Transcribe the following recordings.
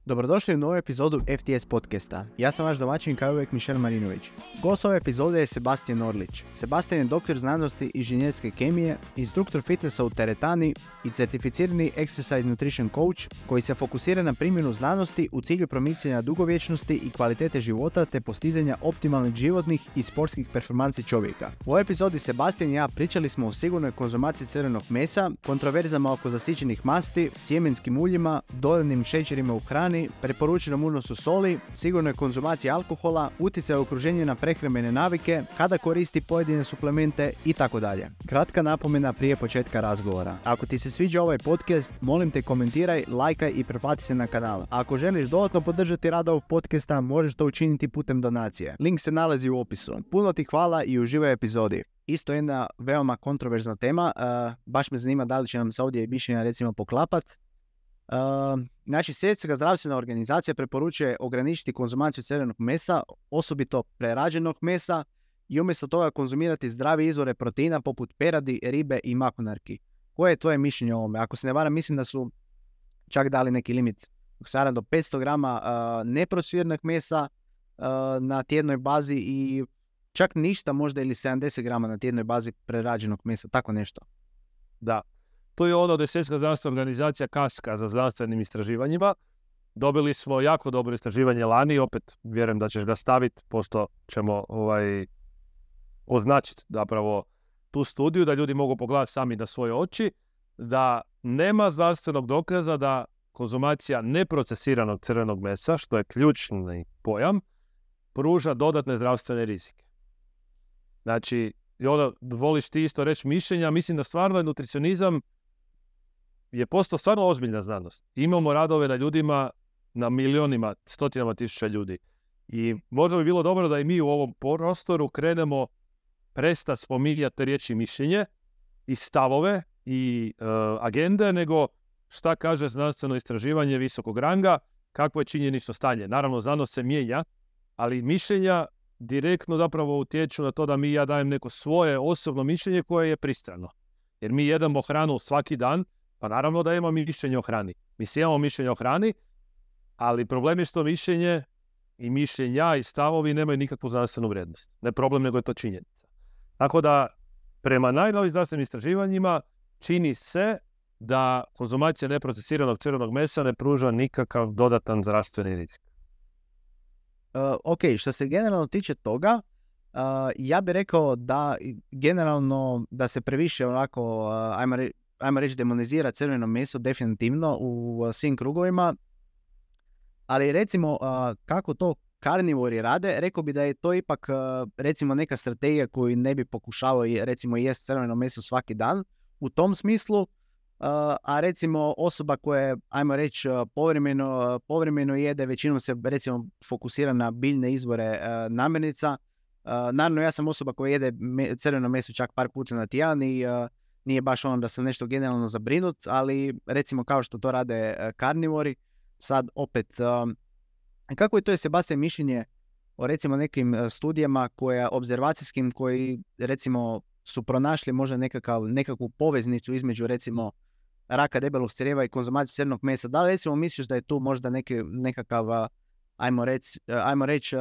Dobrodošli u novu epizodu FTS podcasta. Ja sam vaš domaćin kao uvijek Mišel Marinović. Gost ove epizode je Sebastian Orlić. Sebastian je doktor znanosti inženjerske kemije, instruktor fitnessa u teretani i certificirani exercise nutrition coach koji se fokusira na primjenu znanosti u cilju promicanja dugovječnosti i kvalitete života te postizanja optimalnih životnih i sportskih performansi čovjeka. U ovoj epizodi Sebastian i ja pričali smo o sigurnoj konzumaciji crvenog mesa, kontroverzama oko zasićenih masti, sjemenskim uljima, dodanim šećerima u hrani, preporučenom unosu soli, sigurnoj konzumaciji alkohola, utjecaj okruženja na prehrambene navike, kada koristi pojedine suplemente itd. Kratka napomena prije početka razgovora. Ako ti se sviđa ovaj podcast, molim te komentiraj, lajkaj i pretplati se na kanal. A ako želiš dodatno podržati rad ovog podcasta, možeš to učiniti putem donacije. Link se nalazi u opisu. Puno ti hvala i uživaj u epizodi. Isto jedna veoma kontroverzna tema, baš me zanima da li će nam se ovdje mišljenja recimo poklapat. Znači, Svjetska zdravstvena organizacija preporučuje ograničiti konzumaciju crvenog mesa, osobito prerađenog mesa, i umjesto toga konzumirati zdrave izvore proteina poput peradi, ribe i makonarki. Koje je tvoje mišljenje o ovome? Ako se ne varam, mislim da su čak dali neki limit do 500 grama neprocesiranog mesa na tjednoj bazi i čak ništa možda ili 70 grama na tjednoj bazi prerađenog mesa, tako nešto. Da. To je ono da je Svjetska zdravstvena organizacija kaska za zdravstvenim istraživanjima. Dobili smo jako dobro istraživanje lani, opet vjerujem da ćeš ga staviti, pošto ćemo označiti zapravo tu studiju, da ljudi mogu pogledati sami na svoje oči, da nema zdravstvenog dokaza da konzumacija neprocesiranog crvenog mesa, što je ključni pojam, pruža dodatne zdravstvene rizike. Znači, i ono, voliš ti isto reći mišljenja, mislim da stvarno je nutricionizam je postao stvarno ozbiljna znanost. Imamo radove na ljudima, na milionima, stotinama tisuća ljudi. I možda bi bilo dobro da i mi u ovom prostoru krenemo prestati spominjati riječi mišljenje i stavove i agende, nego šta kaže znanstveno istraživanje visokog ranga, kakvo je činjenično stanje. Naravno, znanost se mijenja, ali mišljenja direktno zapravo utječu na to da ja dajem neko svoje osobno mišljenje koje je pristrano. Jer mi jedemo hranu svaki dan, pa naravno da imamo mišljenje o hrani. Mi svi imamo mišljenje o hrani, ali problem je što mišljenje i mišljenja i stavovi nemaju nikakvu znanstvenu vrijednost. Ne problem, nego je to činjenica. Tako da, prema najnovijim znanstvenim istraživanjima, čini se da konzumacija neprocesiranog crvenog mesa ne pruža nikakav dodatan zdravstveni rizik. Ok, što se generalno tiče toga, ja bih rekao da generalno da se previše onako, ajmo reći, demonizira crveno meso definitivno u svim krugovima, ali recimo kako to karnivori rade, rekao bi da je to ipak recimo neka strategija koju ne bi pokušavao recimo jesti crveno meso svaki dan u tom smislu, a recimo osoba koja je, ajmo reći, povremeno jede, većinom se recimo fokusira na biljne izvore namirnica. Naravno, ja sam osoba koja jede crveno meso čak par puta na tjedan i nije baš ono da sam nešto generalno zabrinut, ali recimo kao što to rade karnivori, sad opet, kako je to Sebastian mišljenje o recimo nekim studijama obzervacijskim koji recimo su pronašli možda nekakvu poveznicu između recimo raka debelog crijeva i konzumacije crvenog mesa. Da li recimo misliš da je tu možda nekakav, ajmo reći,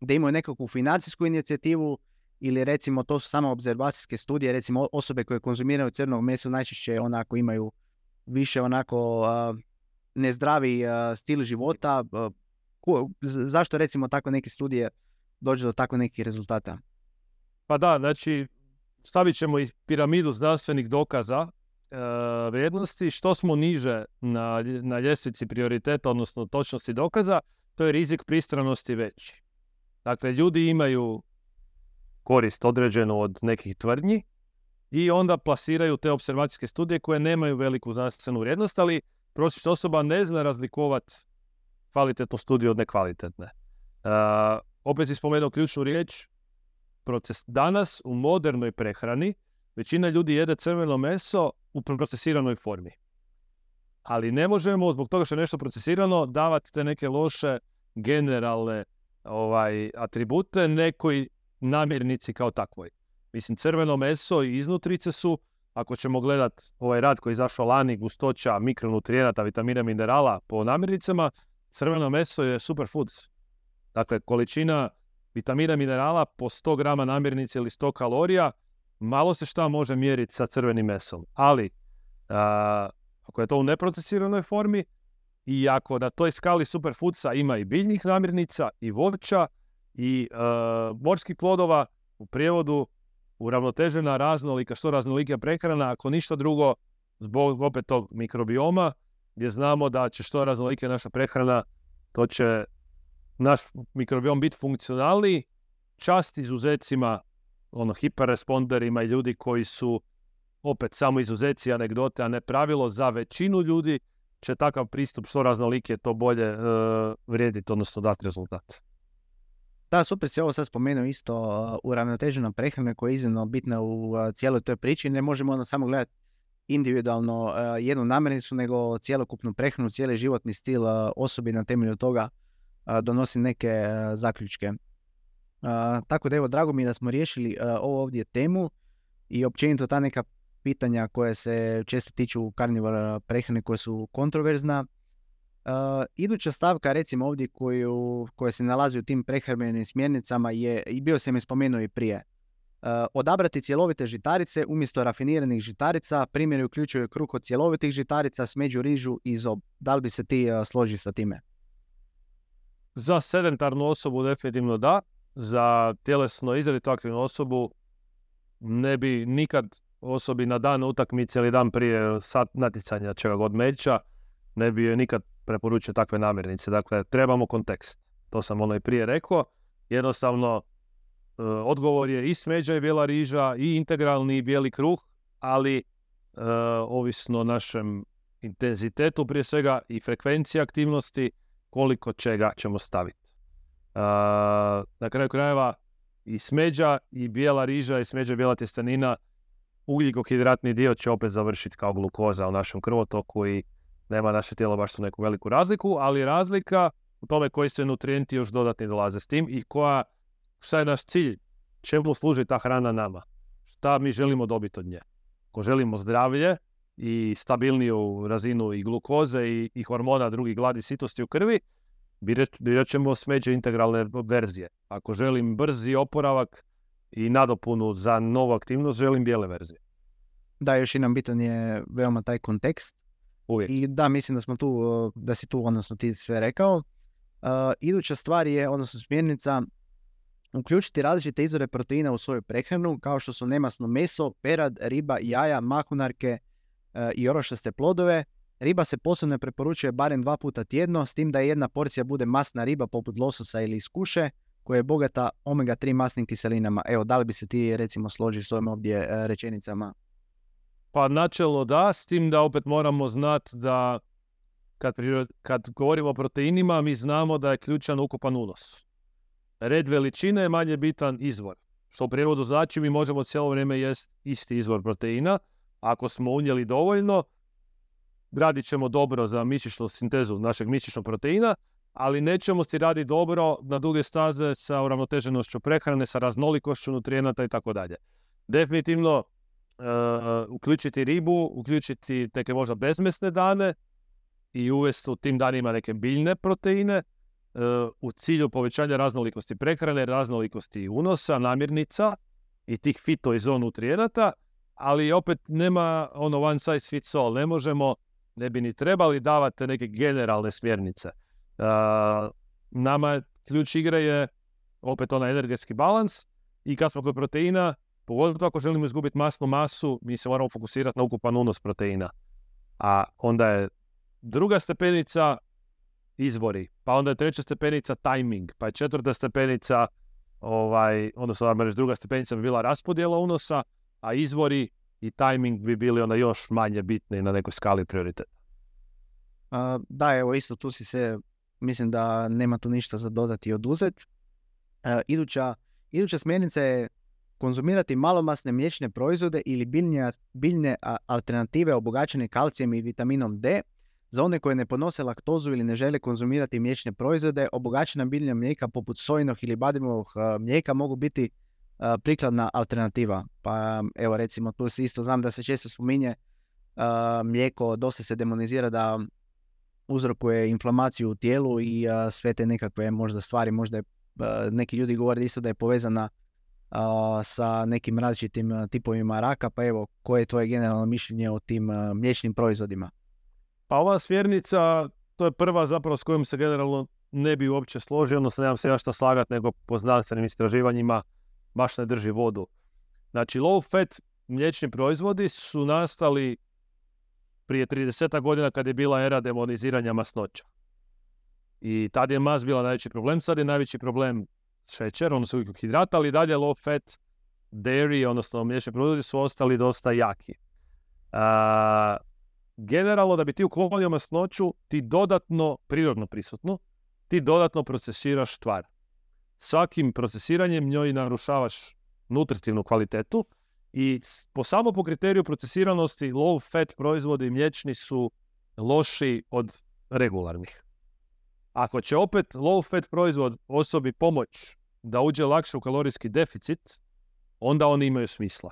da imaju nekakvu financijsku inicijativu ili recimo to su samo obzervacijske studije, recimo osobe koje konzumiraju crvenog mesa najčešće onako imaju više onako nezdravi stil života. Zašto recimo tako neke studije dođe do tako nekih rezultata? Pa da, znači stavit ćemo i piramidu zdravstvenih dokaza vrijednosti. Što smo niže na ljestvici prioriteta, odnosno točnosti dokaza, to je rizik pristranosti veći. Dakle, ljudi imaju korist određenu od nekih tvrdnji i onda plasiraju te observacijske studije koje nemaju veliku znanstvenu vrijednost, ali prosječna osoba ne zna razlikovati kvalitetnu studiju od nekvalitetne. Opet si spomenuo ključnu riječ, danas u modernoj prehrani većina ljudi jede crveno meso u procesiranoj formi. Ali ne možemo, zbog toga što je nešto procesirano, davati te neke loše generalne atribute nekoj namirnici kao takvoj. Mislim, crveno meso i iznutrice su, ako ćemo gledati ovaj rad koji je izašao lani, gustoća mikronutrijenata, vitamina, minerala po namirnicama, crveno meso je superfoods. Dakle, količina vitamina i minerala po 100 grama namirnice ili 100 kalorija, malo se šta može mjeriti sa crvenim mesom. Ali, ako je to u neprocesiranoj formi i ako na toj skali superfoodsa ima i biljnih namirnica, i voća, i morskih plodova, u prijevodu uravnotežena raznolika, što raznolika prehrana, ako ništa drugo, zbog opet tog mikrobioma, gdje znamo da će što raznolike naša prehrana, to će naš mikrobiom biti funkcionalniji, čast izuzecima, hiperresponderima i ljudi koji su opet samo izuzeci, anegdote, a ne pravilo. Za većinu ljudi će takav pristup što raznolike to bolje vrijediti, odnosno dati rezultat. Da, super si ovo sad spomenuo isto, uravnotežena prehrana koja je iznimno bitna u cijeloj toj priči. Ne možemo samo gledati individualno jednu namirnicu, nego cjelokupnu prehranu, cijeli životni stil osobi na temelju toga donosi neke zaključke. Tako da evo, drago mi je da smo riješili ovo ovdje temu i općenito ta neka pitanja koje se često tiču karnivora prehrane, koje su kontroverzna. Iduća stavka, recimo ovdje koja se nalazi u tim prehrambenim smjernicama je, i bio sam je spomenuo i prije, odabrati cjelovite žitarice umjesto rafiniranih žitarica. Primjeri uključuju kruh od cjelovitih žitarica, smeđu, rižu i zob. Da li bi se ti složio sa time? Za sedentarnu osobu definitivno da. Za tjelesno izrazito aktivnu osobu ne bi nikad osobi na dan utakmice ili dan prije sat natjecanja čega god meća, ne bi joj nikad preporučio takve namirnice. Dakle, trebamo kontekst. To sam i prije rekao. Jednostavno, odgovor je i smeđa i bijela riža i integralni i bijeli kruh, ali ovisno o našem intenzitetu prije svega i frekvenciji aktivnosti, koliko čega ćemo staviti. Na kraju krajeva i smeđa i bijela riža i smeđa i bijela tjestenina, ugljikohidratni dio će opet završiti kao glukoza u našem krvotoku i nema naše tijelo baš tu neku veliku razliku, ali razlika u tome koji se nutrijenti još dodatni dolaze s tim i šta je naš cilj, čemu služi ta hrana nama, šta mi želimo dobiti od nje. Ako želimo zdravlje i stabilniju razinu i glukoze i hormona drugih gladi sitosti u krvi, birat ćemo smeđe integralne verzije. Ako želim brzi oporavak i nadopunu za novu aktivnost, želim bijele verzije. Da, još jedan bitan je veoma taj kontekst. Uvijek. I da, mislim da smo tu, da si tu, odnosno ti sve rekao. Iduća stvar je, odnosno smjernica, uključiti različite izvore proteina u svoju prehranu, kao što su nemasno meso, perad, riba, jaja, mahunarke i orošaste plodove. Riba se posebno preporučuje barem 2 puta tjedno, s tim da jedna porcija bude masna riba poput lososa ili skuše, koja je bogata omega-3 masnim kiselinama. Evo, da li bi se ti recimo složio s ovim ovdje rečenicama? Pa načelno da, s tim da opet moramo znati da kad govorimo o proteinima, mi znamo da je ključan ukupan unos. Red veličine je manje bitan izvor. Što u prijevodu znači mi možemo cijelo vrijeme jesti isti izvor proteina. Ako smo unijeli dovoljno, radit ćemo dobro za mišićnu sintezu našeg mišićnog proteina, ali nećemo si raditi dobro na duge staze sa uravnoteženošću prehrane, sa raznolikošću nutrijenata i tako dalje. Definitivno uključiti ribu, uključiti neke možda bezmesne dane i uvesti u tim danima neke biljne proteine u cilju povećanja raznolikosti prehrane, raznolikosti unosa, namirnica i tih fito i zoonutrijenata, ali opet nema one size fits all. Ne bi ni trebali davati neke generalne smjernice. Nama ključ igre je opet onaj energetski balans i kad smo kod proteina, pogotovo ako želimo izgubiti masnu masu, mi se moramo fokusirati na ukupan unos proteina. A onda je druga stepenica izvori, pa onda je treća stepenica timing, pa je četvrta stepenica, druga stepenica bi bila raspodjela unosa, a izvori i timing bi bili onda još manje bitni na nekoj skali prioriteta. Da, evo isto tu si se, mislim da nema tu ništa za dodati i oduzeti. Iduća smjernica je konzumirati malomasne mliječne proizvode ili biljne alternative obogaćene kalcijem i vitaminom D. Za one koje ne podnose laktozu ili ne žele konzumirati mliječne proizvode, obogaćena biljna mlijeka poput sojinog ili badimovog mlijeka mogu biti prikladna alternativa. Pa evo recimo tu se isto znam da se često spominje mlijeko, dosta se demonizira da uzrokuje inflamaciju u tijelu i sve te nekakve možda stvari, možda je, neki ljudi govore isto da je povezana sa nekim različitim tipovima raka, pa evo, koje je tvoje generalno mišljenje o tim mliječnim proizvodima? Pa ova smjernica, to je prva zapravo s kojom se generalno ne bi uopće složio, odnosno nemam se ja šta slagati, nego po znanstvenim istraživanjima baš ne drži vodu. Znači, low fat mliječni proizvodi su nastali prije 30 godina kad je bila era demoniziranja masnoća. I tad je mast bila najveći problem, sad je najveći problem šećer, odnosno ugljikohidrata, ali dalje low fat dairy, odnosno mliječni proizvodi su ostali dosta jaki. Generalno, da bi ti uklonio masnoću, ti dodatno, prirodno prisutno, ti dodatno procesiraš tvar. Svakim procesiranjem njoj narušavaš nutritivnu kvalitetu i po kriteriju procesiranosti low fat proizvodi mliječni su loši od regularnih. Ako će opet low fat proizvod osobi pomoć da uđe lakše u kalorijski deficit, onda oni imaju smisla.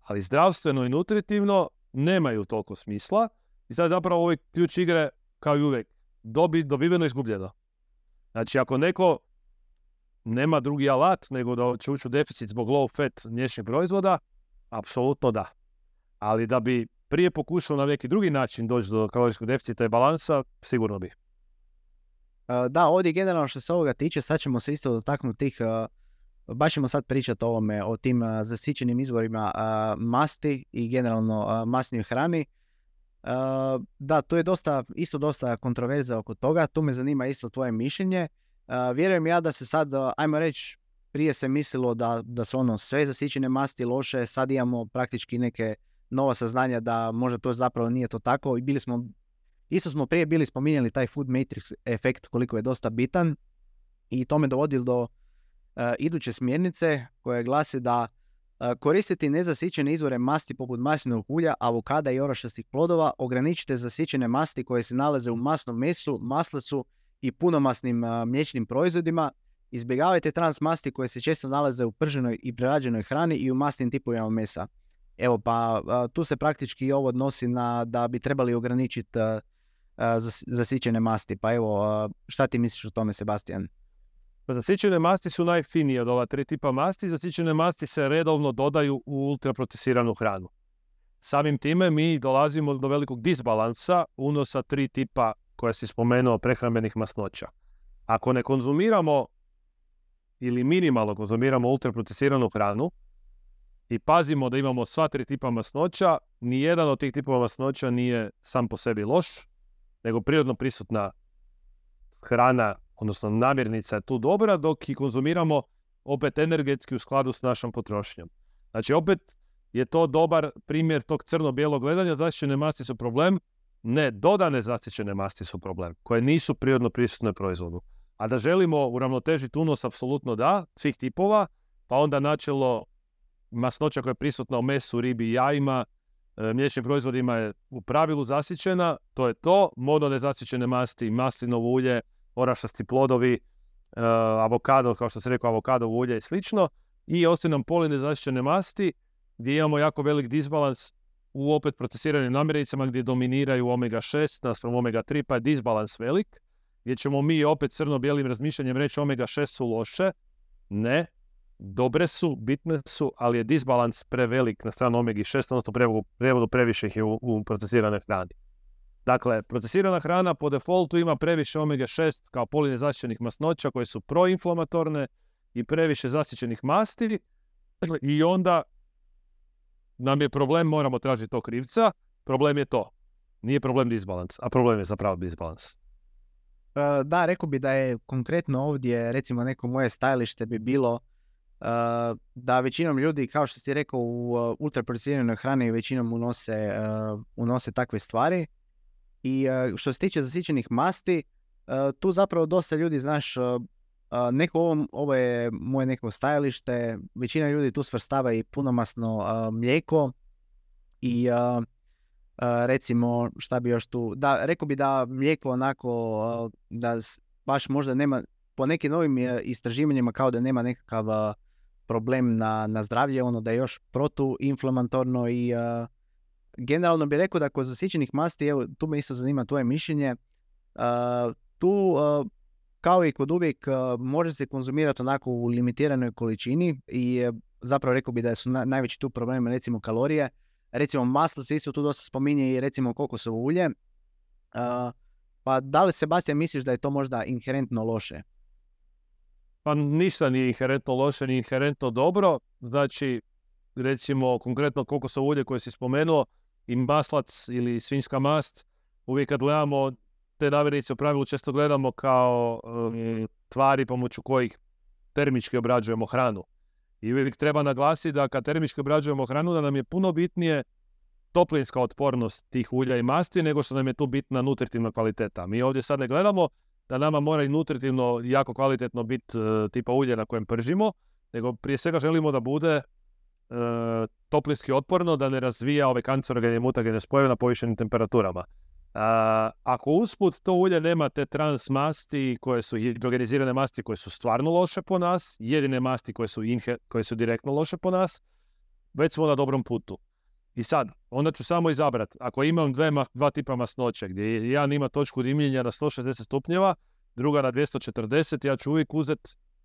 Ali zdravstveno i nutritivno nemaju toliko smisla i sad zapravo ovaj ključ igre, kao i uvijek, dobiveno izgubljeno. Znači, ako neko nema drugi alat nego da će ući u deficit zbog low fat mliječnih proizvoda, apsolutno da. Ali da bi prije pokušao na neki drugi način doći do kalorijskog deficita i balansa, sigurno bi. Da, ovdje generalno što se ovoga tiče, sad ćemo se isto dotaknuti tih, baš ćemo sad pričati o tim zasićenim izvorima masti i generalno masnoj hrani. Da, tu je dosta kontroverza oko toga, tu me zanima isto tvoje mišljenje. Vjerujem ja da se sad, ajmo reći, prije se mislilo da su sve zasićene masti loše, sad imamo praktički neke nova saznanja da možda to zapravo nije to tako i isto smo prije bili spominjali taj food matrix efekt koliko je dosta bitan i to me dovodi do iduće smjernice koje glasi da koristiti nezasićene izvore masti poput maslinovog ulja, avokada i orašastih plodova, ograničite zasićene masti koje se nalaze u masnom mesu, maslacu i punomasnim mliječnim proizvodima. Izbjegavajte trans masti koje se često nalaze u prženoj i prerađenoj hrani i u masnim tipovima mesa. Evo pa tu se praktički ovo odnosi na da bi trebali ograničiti zasićene masti. Pa evo, šta ti misliš o tome, Sebastian? Zasićene masti su najfinije od ova 3 tipa masti. Zasićene masti se redovno dodaju u ultraprocesiranu hranu. Samim time mi dolazimo do velikog disbalansa unosa 3 tipa koja si spomenuo prehrambenih masnoća. Ako ne konzumiramo ili minimalno konzumiramo ultraprocesiranu hranu i pazimo da imamo sva 3 tipa masnoća, nijedan od tih tipova masnoća nije sam po sebi loš, nego prirodno prisutna hrana, odnosno namirnica je tu dobra, dok i konzumiramo opet energetski u skladu s našom potrošnjom. Znači opet je to dobar primjer tog crno-bijelog gledanja. Zasićene masti su problem, ne, dodane zasićene masti su problem, koje nisu prirodno prisutne u proizvodu. A da želimo uravnotežiti unos, apsolutno da, svih tipova, pa onda načelo masnoća koja je prisutna u mesu, ribi i jajima, mliječnim proizvodima je u pravilu zasićena, to je to, mononezasićene masti, maslinovo ulje, orašasti plodovi, avokado, kao što se rekao, avokadovo ulje i slično, i osim nam polinezasićene masti, gdje imamo jako velik disbalans u opet procesiranim namirnicama gdje dominiraju omega-6 naspram omega-3, pa je disbalans velik, gdje ćemo mi opet crno-bijelim razmišljanjem reći omega-6 su loše. Ne, dobre su, bitne su, ali je disbalans prevelik na stranu omega-6, odnosno prevodu previše ih je u procesiranoj hrani. Dakle, procesirana hrana po defaultu ima previše omega-6 kao polinezasićenih masnoća koje su proinflamatorne i previše zasićenih masti i onda nam je problem, moramo tražiti tog krivca. Problem je to. Nije problem disbalans, a problem je zapravo disbalans. Da, rekao bi da je konkretno ovdje, recimo neko moje stajalište bi bilo da većinom ljudi, kao što si rekao, u ultraprocesiranoj hrani većinom unose takve stvari. I što se tiče zasićenih masti, tu zapravo dosta ljudi, znaš, ovo je moje neko stajalište, većina ljudi tu svrstava i punomasno mlijeko i recimo, šta bi još tu, da, rekao bi da mlijeko onako, da baš možda nema, po nekim novim istraživanjima kao da nema nekakav problem na zdravlje, da je još protuinflamatorno i generalno bih rekao da kod zasićenih masti, evo tu me isto zanima tvoje mišljenje, Tu, kao i kod uvijek, može se konzumirati onako u limitiranoj količini i zapravo rekao bi da su najveći tu problemi recimo kalorije. Recimo maslo se isto tu dosta spominje i recimo kokosovo ulje. Pa da li, Sebastian, misliš da je to možda inherentno loše? Pa ništa nije inherentno loše, ni inherentno dobro. Znači, recimo konkretno kokosovo ulje koje si spomenuo i maslac ili svinjska mast, uvijek kad gledamo te namirnice u pravilu često gledamo kao tvari pomoću kojih termički obrađujemo hranu. I uvijek treba naglasiti da kad termički obrađujemo hranu da nam je puno bitnije toplinska otpornost tih ulja i masti nego što nam je tu bitna nutritivna kvaliteta. Mi ovdje sad ne gledamo da nama mora i nutritivno jako kvalitetno biti tipa ulje na kojem pržimo, nego prije svega želimo da bude toplinski otporno, da ne razvija ove kancerogene i mutagene spojeve na povišenim temperaturama. Ako usput to ulje nema te trans masti koje su hidrogenizirane masti koje su stvarno loše po nas, jedine masti koje su direktno loše po nas, već smo na dobrom putu. I sad, onda ću samo izabrati, ako imam dva tipa masnoće, gdje jedan ima točku dimljenja na 160 stupnjeva, druga na 240, ja ću uvijek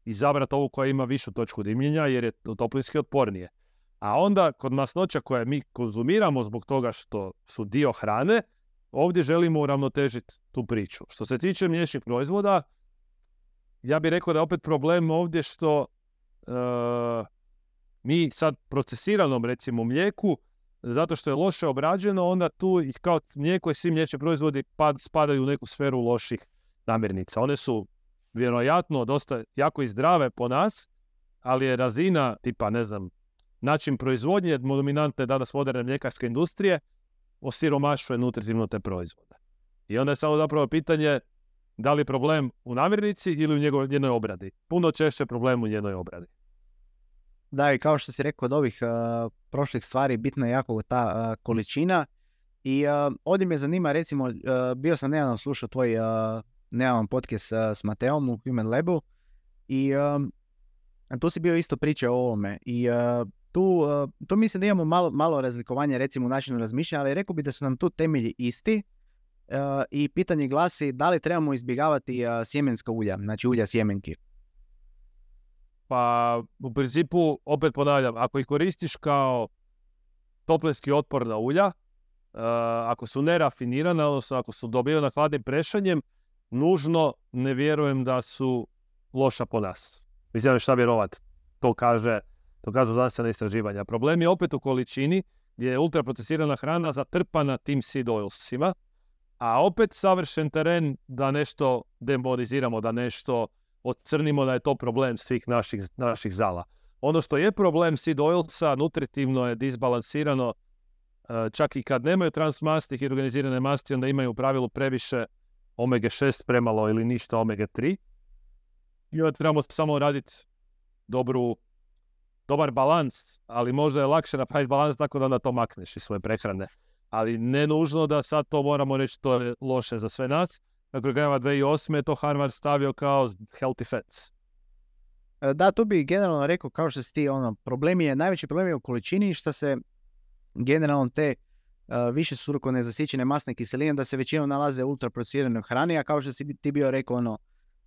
izabrati ovu koja ima višu točku dimljenja jer je toplinski otpornije. A onda, kod masnoća koje mi konzumiramo zbog toga što su dio hrane, ovdje želimo uravnotežiti tu priču. Što se tiče mliječnih proizvoda, ja bih rekao da je opet problem ovdje što mi sad procesiranom recimo mlijeku, zato što je loše obrađeno, onda tu kao mlijeko i svi mliječni proizvodi spadaju u neku sferu loših namirnica. One su vjerojatno dosta jako i zdrave po nas, ali je razina tipa, ne znam, način proizvodnje dominantne danas moderne mljekarske industrije osiromašuje nutritivno te proizvode. I onda je samo zapravo pitanje da li je problem u namirnici ili u njenoj obradi. Puno češće problem u njenoj obradi. Da, i kao što si rekao od ovih prošlih stvari, bitna je jako ta količina. I ovdje me zanima, recimo, bio sam nedavno slušao tvoj podcast s Mateom u Human Labu i tu si bio isto pričao o ovome. I tu mislim da imamo malo razlikovanja recimo u načinu razmišljanja, ali rekao bi da su nam tu temelji isti i pitanje glasi da li trebamo izbjegavati sjemenska ulja, znači ulja sjemenki. Pa u principu, opet ponavljam, ako ih koristiš kao toplinski otporna ulja, ako su nerafinirana, odnosno ako su dobivena hladnim prešanjem, nužno ne vjerujem da su loša po nas. Mislim šta vjerovat, to kažu znanstvena istraživanja. Problem je opet u količini gdje je ultraprocesirana hrana zatrpana tim seed oilsima, a opet savršen teren da nešto demoniziramo, da nešto odcrnimo da je to problem svih naših zala. Ono što je problem seed oilsa, nutritivno je disbalansirano, čak i kad nemaju transmasti, hidrogenizirane masti, onda imaju u pravilu previše omega-6 premalo ili ništa omega-3. I onda trebamo samo raditi dobar balans, ali možda je lakše napraviti balans tako da onda to makneš iz svoje prehrane. Ali ne nužno da sad to moramo reći to je loše za sve nas. Dakle, 2008. je to Harvard stavio kao healthy fats. Da, tu bi generalno rekao, kao što si ti, najveći problem je u količini, što se generalno te više struko nezasićene masne kiseline da se većinom nalaze u ultraprocesiranoj hrani, a kao što si ti bio rekao,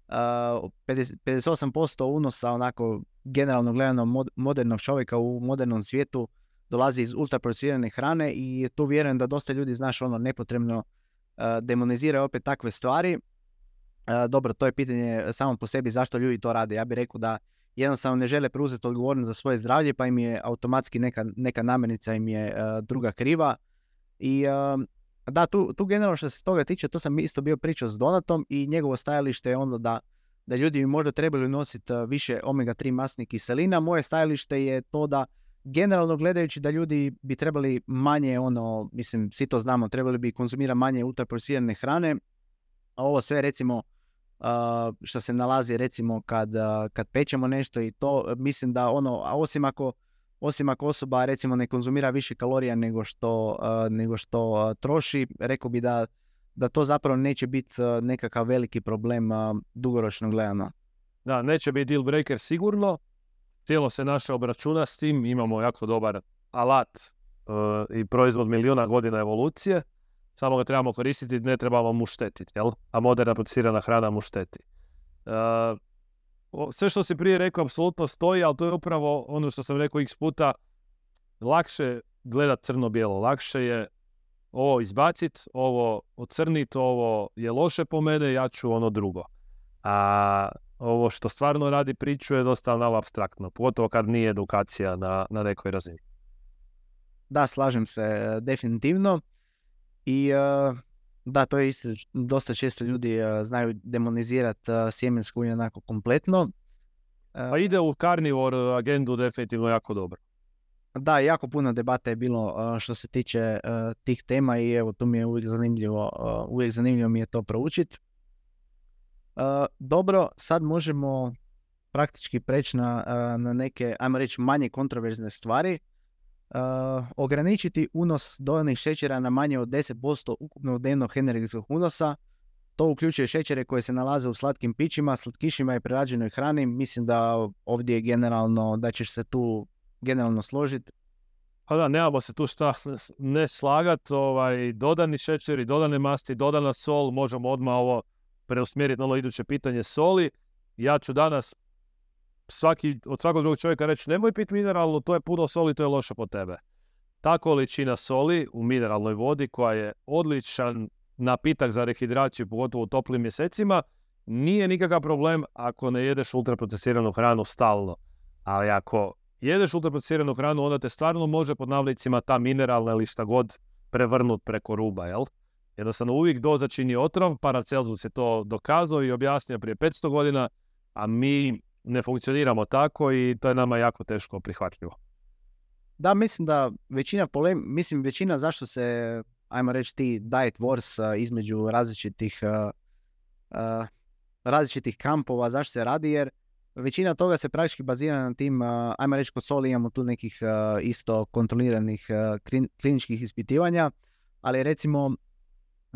58% unosa onako generalno gledano modernog čovjeka u modernom svijetu dolazi iz ultraprocesirane hrane i tu vjerujem da dosta ljudi, nepotrebno demonizira opet takve stvari. Dobro, to je pitanje samo po sebi zašto ljudi to rade. Ja bih rekao da jednostavno ne žele preuzeti odgovornost za svoje zdravlje, pa im je automatski neka namirnica im je druga kriva. I da, tu generalno što se toga tiče, to sam isto bio pričao s Donatom i njegovo stajalište je onda da ljudi bi možda trebali nositi više omega-3 masnih kiselina. Moje stajalište je to da generalno gledajući da ljudi bi trebali manje, svi to znamo, trebali bi konzumirati manje ultraprocesirane hrane, a ovo sve recimo što se nalazi recimo kad pečemo nešto i to, mislim da osim ako osoba recimo ne konzumira više kalorija nego što troši, rekao bi da to zapravo neće biti nekakav veliki problem dugoročno gledano. Da, neće biti deal breaker sigurno. Tijelo se naše obračuna s tim, imamo jako dobar alat i proizvod milijuna godina evolucije, samo ga trebamo koristiti, ne trebamo mu štetiti, jel? A moderna procesirana hrana mu šteti. Sve što si prije rekao apsolutno stoji, ali to je upravo ono što sam rekao x puta, lakše gledati crno-bijelo, lakše je ovo izbaciti, ovo ocrniti, ovo je loše po mene, ja ću ono drugo. A ovo što stvarno radi priču je dosta malo apstraktno, pogotovo kad nije edukacija na nekoj razini. Da, slažem se definitivno. I da, to je isto, dosta često ljudi znaju demonizirati sjemensko ulje onako kompletno. Pa ide u carnivore agendu definitivno jako dobro. Da, jako puno debata je bilo što se tiče tih tema i evo, tu mi je uvijek zanimljivo mi je to proučiti. Dobro, sad možemo praktički preći na neke, ajmo reći, manje kontroverzne stvari. Ograničiti unos dodanih šećera na manje od 10% ukupnog dnevnog energetskog unosa. To uključuje šećere koje se nalaze u slatkim pićima, slatkišima i prerađenoj hrani. Mislim da ovdje generalno, da ćeš se tu generalno složiti. Pa da, nemamo se tu šta ne slagati. Dodani šećeri, dodane masti, dodana sol, možemo odmah ovo preusmjeriti na ono iduće pitanje soli. Ja ću danas od svakog drugog čovjeka reći nemoj piti mineralnu, to je puno soli, to je loše po tebe. Ta količina soli u mineralnoj vodi koja je odličan napitak za rehidraciju, pogotovo u toplim mjesecima, nije nikakav problem ako ne jedeš ultraprocesiranu hranu stalno. Ali ako jedeš ultraprocesiranu hranu, onda te stvarno može pod navlicima ta mineralna ili šta god prevrnut preko ruba, jel? Jednostavno uvijek doza čini otrov, Paracelsus je to dokazao i objasnio prije 500 godina, a mi ne funkcioniramo tako i to je nama jako teško prihvatljivo. Da, mislim da većina zašto se, ajmo reći, ti diet wars između različitih kampova, zašto se radi, jer većina toga se praktički bazira na tim, ajmo reći, kod soli imamo tu nekih isto kontroliranih kliničkih ispitivanja, ali recimo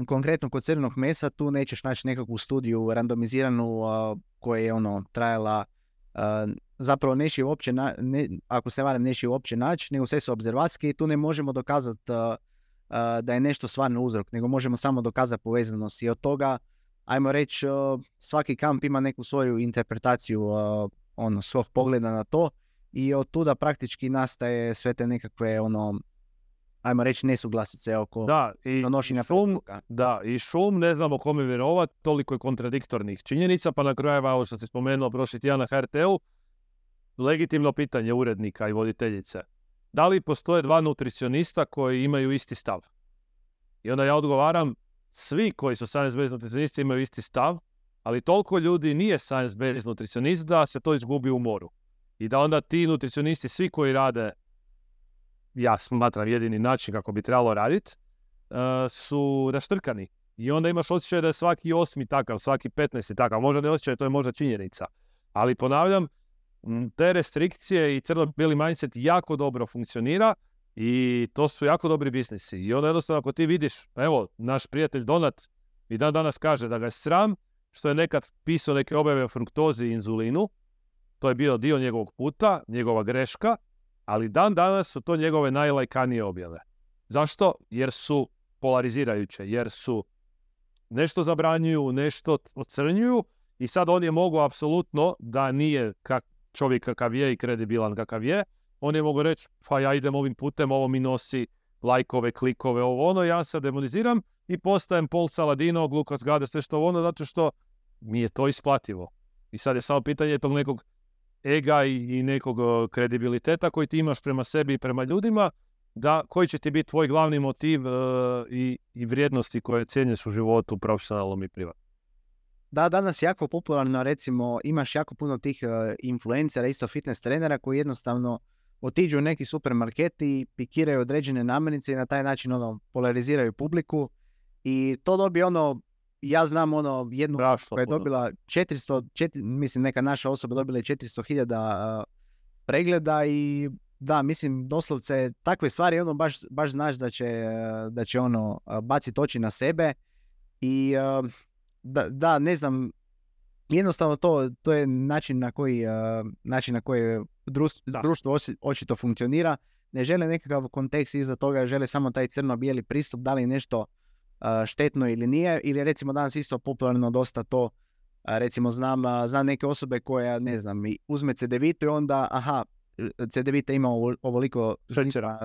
konkretno kod crvenog mesa tu nećeš naći nekakvu studiju randomiziranu koja je trajala zapravo neće uopće, ako se varam, neće uopće naći, nego sve su obzervacijske i tu ne možemo dokazati da je nešto stvarno uzrok, nego možemo samo dokazati povezanost i od toga, ajmo reći, svaki kamp ima neku svoju interpretaciju svog pogleda na to i od tuda praktički nastaje sve te nekakve ajmo reći nesuglasice oko donošenja preporuka. Da, i šum, ne znamo kome vjerovati, toliko je kontradiktornih činjenica, pa na kraju, ovo što si spomenuo prošli tjedan na HRT-u, legitimno pitanje urednika i voditeljice. Da li postoje dva nutricionista koji imaju isti stav? I onda ja odgovaram, svi koji su science-based nutricionisti imaju isti stav, ali toliko ljudi nije science-based nutricionist da se to izgubi u moru. I da onda ti nutricionisti, svi koji rade, ja smatram jedini način kako bi trebalo raditi, su raštrkani. I onda imaš osjećaj da je svaki 8. takav, svaki 15. takav. Možda ne osjećaj, to je možda činjenica. Ali ponavljam, te restrikcije i crno-bijeli mindset jako dobro funkcionira i to su jako dobri biznisi. I onda jednostavno ako ti vidiš, evo, naš prijatelj Donat i dan danas kaže da ga je sram što je nekad pisao neke objave o fruktozi i inzulinu. To je bio dio njegovog puta, njegova greška, ali dan danas su to njegove najlajkanije objave. Zašto? Jer su polarizirajuće, jer su nešto zabranjuju, nešto ocrnjuju i sad on je mogao apsolutno da nije čovjek kakav je i kredibilan kakav je, on je mogao reći, pa ja idem ovim putem, ovo mi nosi lajkove, klikove, ja se demoniziram i postajem Paul Saladino, Lukas Gade, sve što zato što mi je to isplativo. I sad je samo pitanje tog nekog ega i nekog kredibiliteta koji ti imaš prema sebi i prema ljudima, da koji će ti biti tvoj glavni motiv i vrijednosti koje cijenješ u životu, profesionalnom i privatnom. Da, danas je jako popularno, recimo, imaš jako puno tih influencera, isto fitness trenera koji jednostavno otiđu u neki supermarket i pikiraju određene namirnice i na taj način polariziraju publiku i to dobije ja znam jednu koja je dobila 400, mislim neka naša osoba dobila je 400.000 pregleda i da, mislim, doslovce takve stvari baš znaš da će baciti oči na sebe i da, ne znam, jednostavno to je način na koji društvo očito funkcionira. Ne žele nekakav kontekst iza toga, žele samo taj crno-bijeli pristup, da li nešto štetno ili nije, ili recimo danas isto popularno dosta to, recimo znam neke osobe koja, ne znam, uzme cedevitu i onda, cedevita ima ovoliko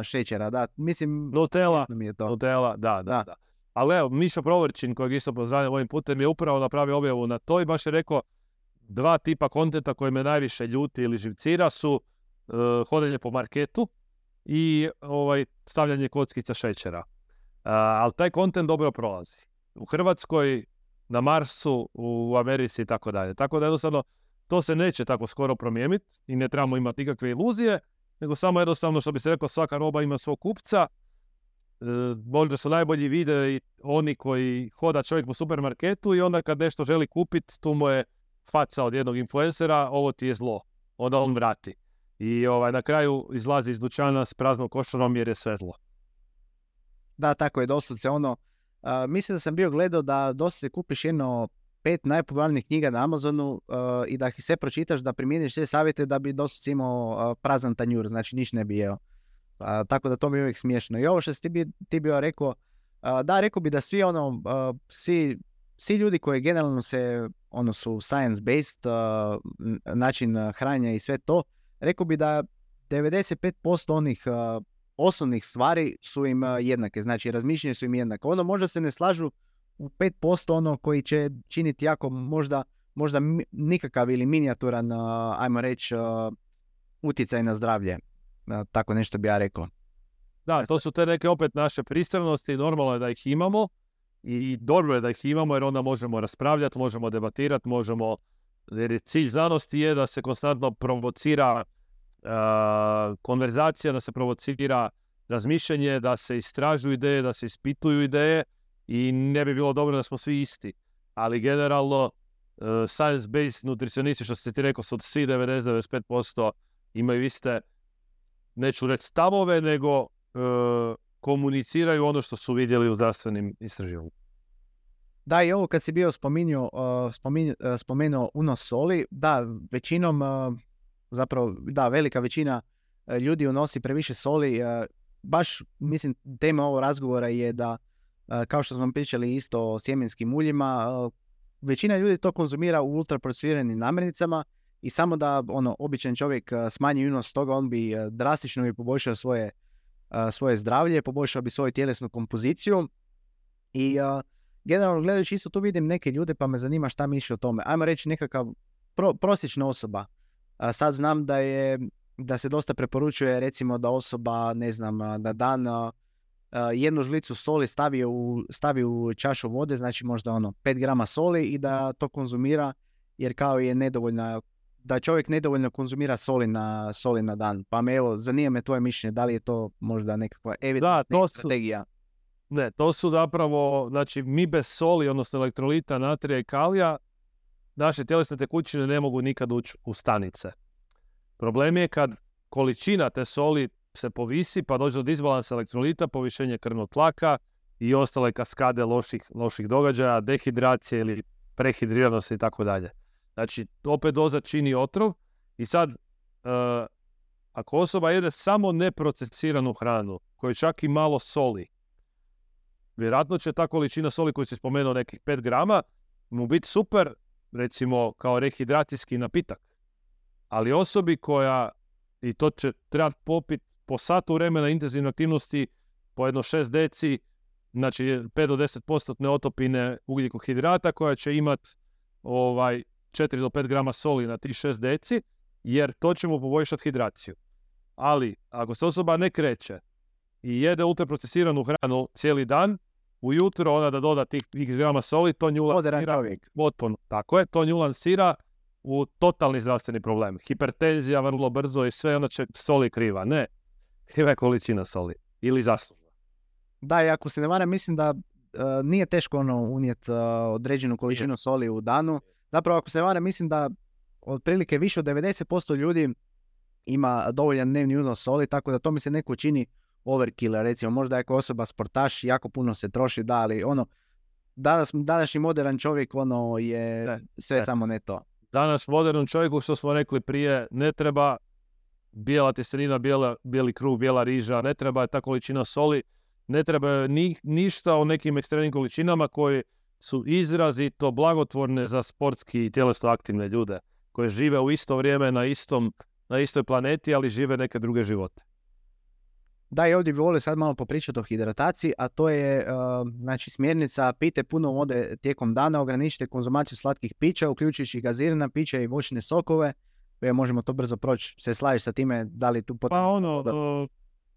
šećera, da, mislim, Nutella, mi je to. Nutella, da. Ali evo, Mišo Provrčin, kojeg isto pozdravljam ovim putem, je upravo napravio objavu na to i baš je rekao 2 tipa kontenta koje me najviše ljuti ili živcira su hodanje po marketu i stavljanje kockica šećera. Ali taj kontent dobro prolazi. U Hrvatskoj, na Marsu, u Americi i tako dalje. Tako da jednostavno to se neće tako skoro promijeniti i ne trebamo imati nikakve iluzije, nego samo jednostavno, što bi se rekao, svaka roba ima svog kupca. Možda su najbolji videi oni koji hoda čovjek po supermarketu i onda kad nešto želi kupiti, tu mu je faca od jednog influencera, ovo ti je zlo. Onda on vrati. I na kraju izlazi iz dućana s praznom košarom jer je sve zlo. Da, tako je, doslovce mislim da sam bio gledao da doslovce kupiš 5 najpopularnijih knjiga na Amazonu i da ih sve pročitaš, da primjeniš sve savjete da bi doslovce imao prazan tanjur, znači ništa ne bi jeo. Tako da to mi je uvijek smiješno. I ovo što si ti bio rekao, da, rekao bi da svi svi ljudi koji generalno su science-based, način hranjenja i sve to, rekao bi da 95% onih osnovnih stvari su im jednake, znači razmišljanje su im jednake. Možda se ne slažu u 5% koji će činiti jako možda nikakav ili minijaturan, ajmo reći, utjecaj na zdravlje. Tako nešto bi ja rekao. Da, to su te neke opet naše pristranosti, normalno je da ih imamo i dobro je da ih imamo jer onda možemo raspravljati, možemo debatirati, jer cilj znanosti je da se konstantno provocira konverzacija, da se provocira razmišljanje, da se istražuju ideje, da se ispituju ideje i ne bi bilo dobro da smo svi isti. Ali generalno science-based nutricionisti, što si ti rekao, su od svi 90-95% imaju iste, neću reći stavove, nego komuniciraju ono što su vidjeli u zdravstvenim istraživanjima. Da, i ovo kad si bio spomenuo unos soli, da, većinom, zapravo, da, velika većina ljudi unosi previše soli. Baš, mislim, tema ovog razgovora je da, kao što smo pričali isto o sjemenskim uljima, većina ljudi to konzumira u ultraprocesiranim namirnicama i samo da običan čovjek smanji unos toga, on bi drastično bi poboljšao svoje zdravlje, poboljšao bi svoju tjelesnu kompoziciju i generalno gledajući isto tu vidim neke ljude pa me zanima šta misli o tome. Ajmo reći nekakav prosječna osoba. Sad znam da se dosta preporučuje recimo da osoba, ne znam, na dan jednu žlicu soli stavi u čašu vode, znači možda 5 grama soli i da to konzumira jer kao je nedovoljna, da čovjek nedovoljno konzumira soli na dan. Pa me zanima me tvoje mišljenje, da li je to možda nekakva evidentna strategija? Ne, to su zapravo, znači mi bez soli, odnosno elektrolita, natrija i kalija, naše tjelesne tekućine ne mogu nikad ući u stanice. Problem je kad količina te soli se povisi pa dođe do disbalansa elektrolita, povišenje krvnog tlaka i ostale kaskade loših događaja, dehidracije ili prehidriranosti i tako dalje. Znači, opet doza čini otrov i sad, ako osoba jede samo neprocesiranu hranu, koju čak i malo soli, vjerojatno će ta količina soli koju si spomenuo, nekih 5 grama, mu biti super, recimo kao rehidracijski napitak. Ali osobi koja, i to će trebati popiti po satu vremena intenzivne aktivnosti, po jedno 6 deci, znači 5 do 10% neotopine ugljikohidrata koja će imati 4 do 5 grama soli na tih 6 deci, jer to će mu poboljšati hidraciju. Ali, ako se osoba ne kreće i jede ultraprocesiranu hranu cijeli dan, ujutro ona da doda tih x grama soli, to nju lansira potpuno. Tako je, to nju lansira u totalni zdravstveni problem. Hipertenzija vrlo brzo i sve, onda će soli kriva. Ne, kriva je količina soli. Ili zaslužna. Da, i ako se ne varam, mislim da nije teško unijeti određenu količinu soli u danu. Zapravo, ako se ne varam, mislim da otprilike više od 90% ljudi ima dovoljan dnevni unos soli, tako da to mi se neko čini overkill. Recimo, možda ako osoba sportaš, jako puno se troši, da, ali današnji modern čovjek je sve samo ne to. Danas modernom čovjeku, što smo rekli prije, ne treba bijela tjestenina, bijeli kruh, bijela riža, ne treba ta količina soli, Ne treba ništa o nekim ekstremnim količinama koje su izrazito blagotvorne za sportski i tjelesno aktivne ljude koje žive u isto vrijeme na istoj planeti, ali žive neke druge živote. Da, i ovdje bi volio sad malo popričati o hidrataciji, a to je znači smjernica: pijte puno vode tijekom dana, ograničite konzumaciju slatkih pića, uključujući gazirana pića i voćne sokove. Možemo to brzo proći. Se slažeš sa time, da li tu potrebno?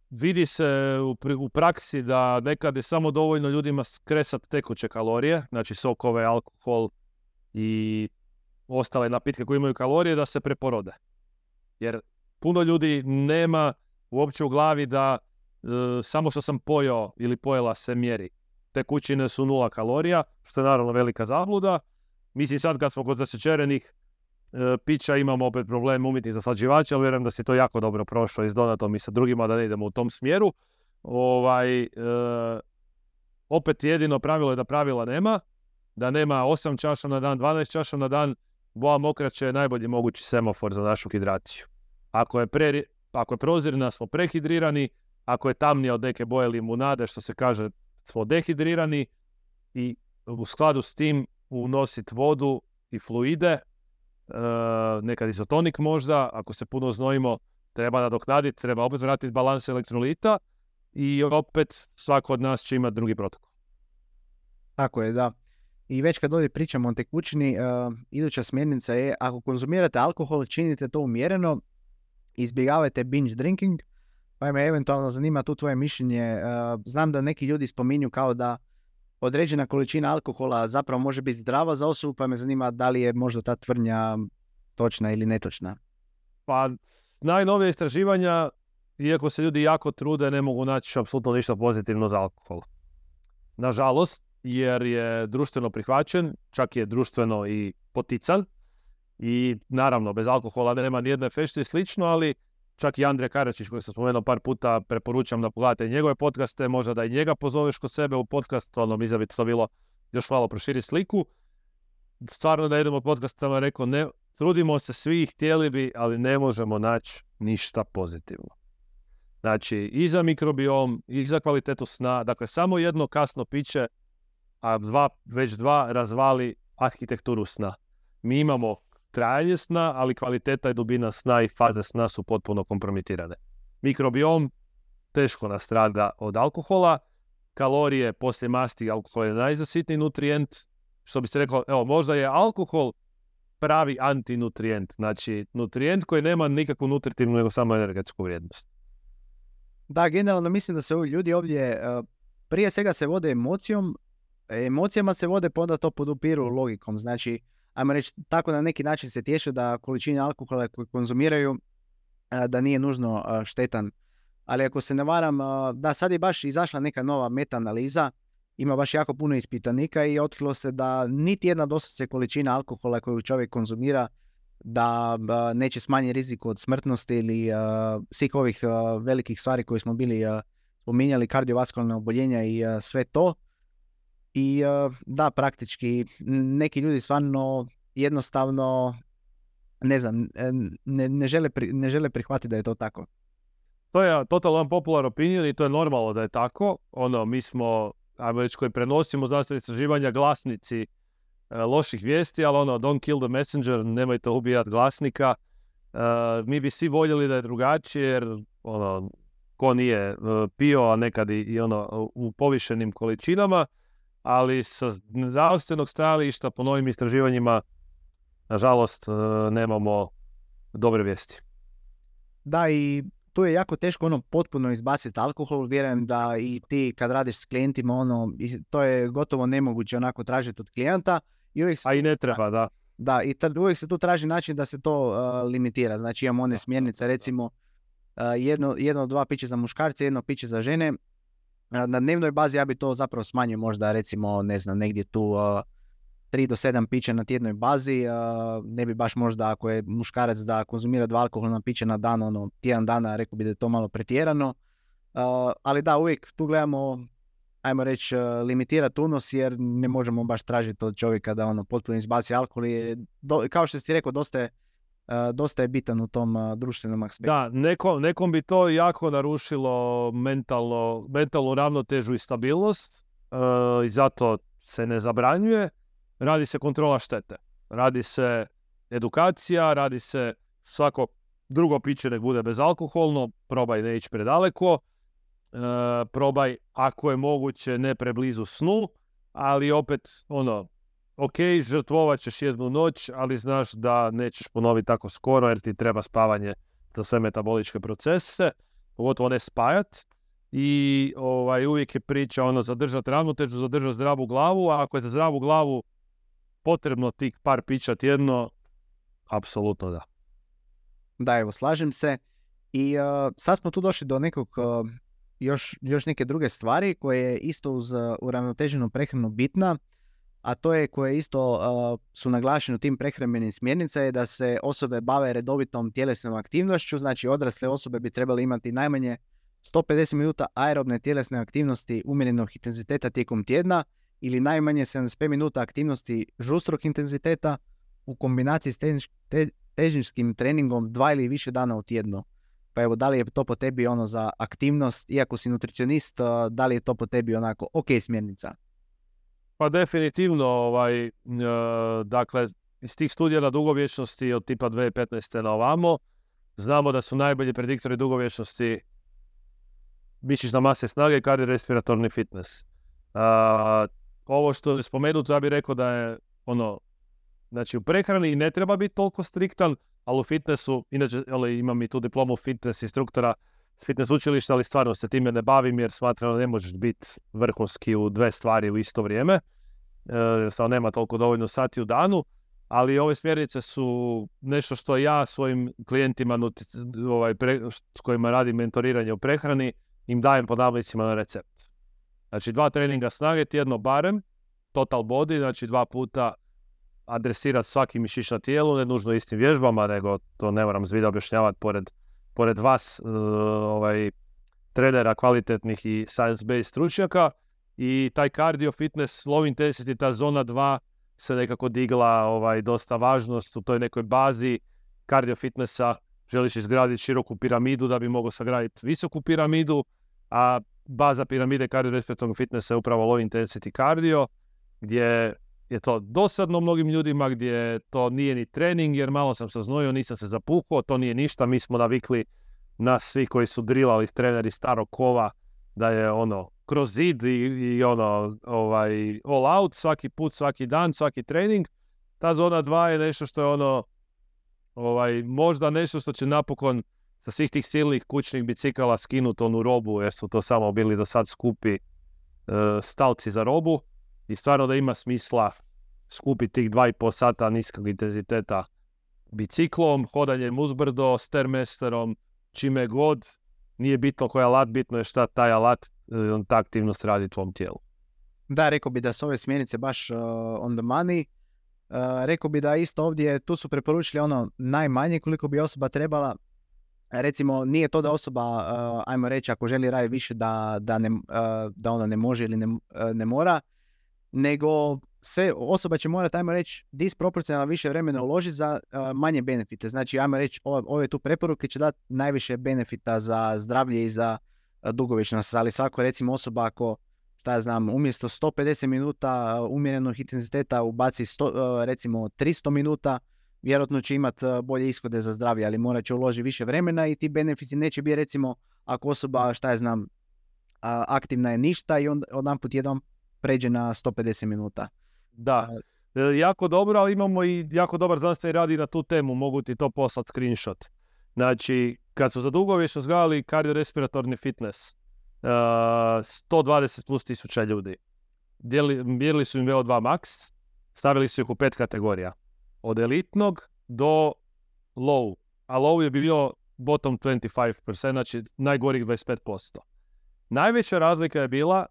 Vidi se u praksi da nekad je samo dovoljno ljudima skresati tekuće kalorije, znači sokove, alkohol i ostale napitke koji imaju kalorije, da se preporode. Jer puno ljudi nema uopće u glavi da samo što sam pojeo ili pojela se mjeri. Tekućine su 0 kalorija, što je naravno velika zabluda. Mislim, sad kad smo kod zasječerenih pića imamo opet problem umjetnih zaslađivača, ali vjerujem da si to jako dobro prošao i s Donatom i sa drugima, da ne idemo u tom smjeru. Opet jedino pravilo je da pravila nema, da nema 8 čaša na dan, 12 čaša na dan. Boa mokraće je najbolji mogući semafor za našu hidraciju. Ako je prozirna, smo prehidrirani. Ako je tamnija od neke boje limunade, što se kaže, smo dehidrirani. I u skladu s tim unositi vodu i fluide, nekad izotonik možda. Ako se puno znojimo, treba nadoknaditi, treba opet vratiti balans elektrolita i opet svako od nas će imati drugi protokol. Tako je, da. I već kad ovdje pričamo o tekućini, iduća smjernica je: ako konzumirate alkohol, činite to umjereno, izbjegavajte binge drinking. Pa me eventualno zanima tu tvoje mišljenje. Znam da neki ljudi spominju kao da određena količina alkohola zapravo može biti zdrava za osobu, pa me zanima da li je možda ta tvrdnja točna ili netočna. Pa najnovije istraživanja, iako se ljudi jako trude, ne mogu naći apsolutno ništa pozitivno za alkohol. Nažalost, jer je društveno prihvaćen, čak je društveno i potican. I naravno, bez alkohola nema nijedne fešte i slično, ali čak i Andrija Karačić, kojeg sam spomenuo par puta, preporučam da pogledate njegove podcaste, možda da i njega pozoveš kod sebe u podcast, mislim bi to bilo još malo proširiti sliku. Stvarno da jednom od podcastama rekao, ne, trudimo se svi, htjeli bi, ali ne možemo naći ništa pozitivno. Znači, i za mikrobiom, i za kvalitetu sna, dakle, samo jedno kasno piće, a već dva razvali arhitekturu sna. Mi imamo trajanje sna, ali kvaliteta i dubina sna i faze sna su potpuno kompromitirane. Mikrobiom teško nastrada od alkohola, kalorije poslije masti, alkohol je najzasitniji nutrijent, što bi se reklo, evo, možda je alkohol pravi antinutrijent, znači nutrijent koji nema nikakvu nutritivnu nego samo energetsku vrijednost. Da, generalno mislim da se ljudi ovdje prije svega se vode emocijama se vode, pa onda to podupiru logikom. Znači, ajmo reći, tako na neki način se tješe da količine alkohola koje konzumiraju da nije nužno štetan. Ali ako se ne varam, da, sad je baš izašla neka nova meta-analiza, ima baš jako puno ispitanika i otkrilo se da niti jedna doslovce količina alkohola koju čovjek konzumira da neće smanjiti rizik od smrtnosti ili svih ovih velikih stvari koje smo bili spominjali, kardiovaskularne oboljenja i sve to. I da, praktički neki ljudi stvarno jednostavno ne znam, ne žele prihvatiti da je to tako. To je totalno popular opinion i to je normalno da je tako. Mi smo, ajmo reći, koji prenosimo znanstvene istraživanja, glasnici loših vijesti, ali don't kill the messenger, nemojte ubijati glasnika. Mi bi svi voljeli da je drugačije, jer ko nije pio, a nekad i u povišenim količinama, ali sa zdravstvenog stajališta po novim istraživanjima, nažalost, nemamo dobre vijesti. Da, i tu je jako teško potpuno izbaciti alkohol. Vjerujem da i ti kad radiš s klijentima, to je gotovo nemoguće onako tražiti od klijenta. A i ne treba, da. Da, i uvijek se tu traži način da se to limitira. Znači imamo one smjernice, recimo jedno od 2 piće za muškarce, 1 piće za žene. Na dnevnoj bazi ja bi to zapravo smanjio možda, recimo, ne znam, negdje tu 3 do 7 pića na tjednoj bazi. Ne bi baš možda, ako je muškarac, da konzumira 2 alkoholna pića na dan, tjedan dana, rekao bi da je to malo pretjerano. Ali da, uvijek tu gledamo, ajmo reći, limitirati unos, jer ne možemo baš tražiti od čovjeka da potpuno izbaci alkohol. Kao što si rekao, dosta je dosta je bitan u tom društvenom aspektu. Da, nekom bi to jako narušilo mentalnu ravnotežu i stabilnost i zato se ne zabranjuje. Radi se kontrola štete. Radi se edukacija, radi se svako drugo piće nek bude bezalkoholno, probaj ne ići predaleko, probaj ako je moguće ne preblizu snu, ali opet ok, žrtvovat ćeš jednu noć, ali znaš da nećeš ponoviti tako skoro jer ti treba spavanje za sve metaboličke procese, pogotovo ne spajat. I uvijek je priča zadržati ravnotežu, zadržati zdravu glavu, a ako je za zdravu glavu potrebno tih par pića tjedno, apsolutno da. Da, evo, slažem se. I sad smo tu došli do nekog još neke druge stvari koje je isto uz uravnoteženu prehranu bitna, a to je koje isto su naglašene u tim prehrambenim smjernica je da se osobe bave redovitom tjelesnom aktivnošću, znači odrasle osobe bi trebali imati najmanje 150 minuta aerobne tjelesne aktivnosti umjerenog intenziteta tijekom tjedna ili najmanje 75 minuta aktivnosti žustrog intenziteta u kombinaciji s težinskim treningom 2 ili više dana u tjednu. Pa evo, da li je to po tebi za aktivnost, iako si nutricionist, da li je to po tebi onako ok smjernica? Pa definitivno, dakle, iz tih studija na dugovječnosti od tipa 2015. na ovamo, znamo da su najbolji prediktori dugovječnosti mišićna masa i snage i kardiorespiratorni fitness. Ovo što je spomenuto, ja bih rekao da je znači u prehrani ne treba biti toliko striktan, ali u fitnessu, inače imam i tu diplomu fitness instruktora s fitness učilišta, ali stvarno se time ne bavim jer smatram da ne možeš biti vrhunski u dve stvari u isto vrijeme. Samo nema toliko dovoljno sati u danu, ali ove smjernice su nešto što ja svojim klijentima s kojima radim mentoriranje u prehrani im dajem po navicima na recept. Znači 2 treninga snage tjedno barem, total body, znači 2 puta adresirati svaki mišić na tijelu, ne nužno istim vježbama, nego to ne moram zbilja objašnjavati pored vas, trenera kvalitetnih i science-based stručnjaka. I taj cardio fitness, low intensity, ta zona 2 se nekako digla dosta važnost u toj nekoj bazi cardio fitnessa. Želiš izgraditi široku piramidu da bi mogao sagraditi visoku piramidu, a baza piramide kardiorespiratornog fitnessa je upravo low intensity cardio, gdje je to dosadno mnogim ljudima, gdje to nije ni trening, jer malo sam se znojio, nisam se zapuhao, to nije ništa. Mi smo navikli, nas svi koji su drilali treneri starog kova, da je kroz zid i all out, svaki put, svaki dan, svaki trening. Ta zona 2 je nešto što je možda nešto što će napokon sa svih tih silnih kućnih bicikala skinuti onu robu, jer su to samo bili do sad skupi stalci za robu. I stvarno da ima smisla skupiti tih 2,5 sata niskog intenziteta biciklom, hodanjem uzbrdo, stairmasterom, čime god. Nije bitno koji alat, bitno je šta taj alat, ta aktivnost radi u tvom tijelu. Da, rekao bi da su ove smjernice baš on the money. Rekao bi da isto ovdje, tu su preporučili najmanje koliko bi osoba trebala. Recimo, nije to da osoba, ajmo reći, ako želi raditi više da ona ne može ili ne mora, nego osoba će morati, ajmo reći, disproporcionalno više vremena uložiti za manje benefite. Znači, ajmo reći, ove tu preporuke će dati najviše benefita za zdravlje i za dugovječnost, ali svako, recimo, osoba ako, umjesto 150 minuta umjerenog intenziteta ubaci recimo 300 minuta, vjerojatno će imati bolje ishode za zdravlje, ali morat će uložiti više vremena i ti benefiti neće biti, recimo, ako osoba, aktivna je ništa i odjedanput jednom pređe na 150 minuta. Da, jako dobro, ali imamo i jako dobar znanstveni rad i na tu temu, mogu ti to poslati screenshot. Znači, kad su za dugovječnost gledali kardiorespiratorni fitness, 120 plus tisuća ljudi, mjerili su im VO2 max, stavili su ih u 5 kategorija. Od elitnog do low, a low je bio bottom 25%, znači najgorih 25%. Najveća razlika je bila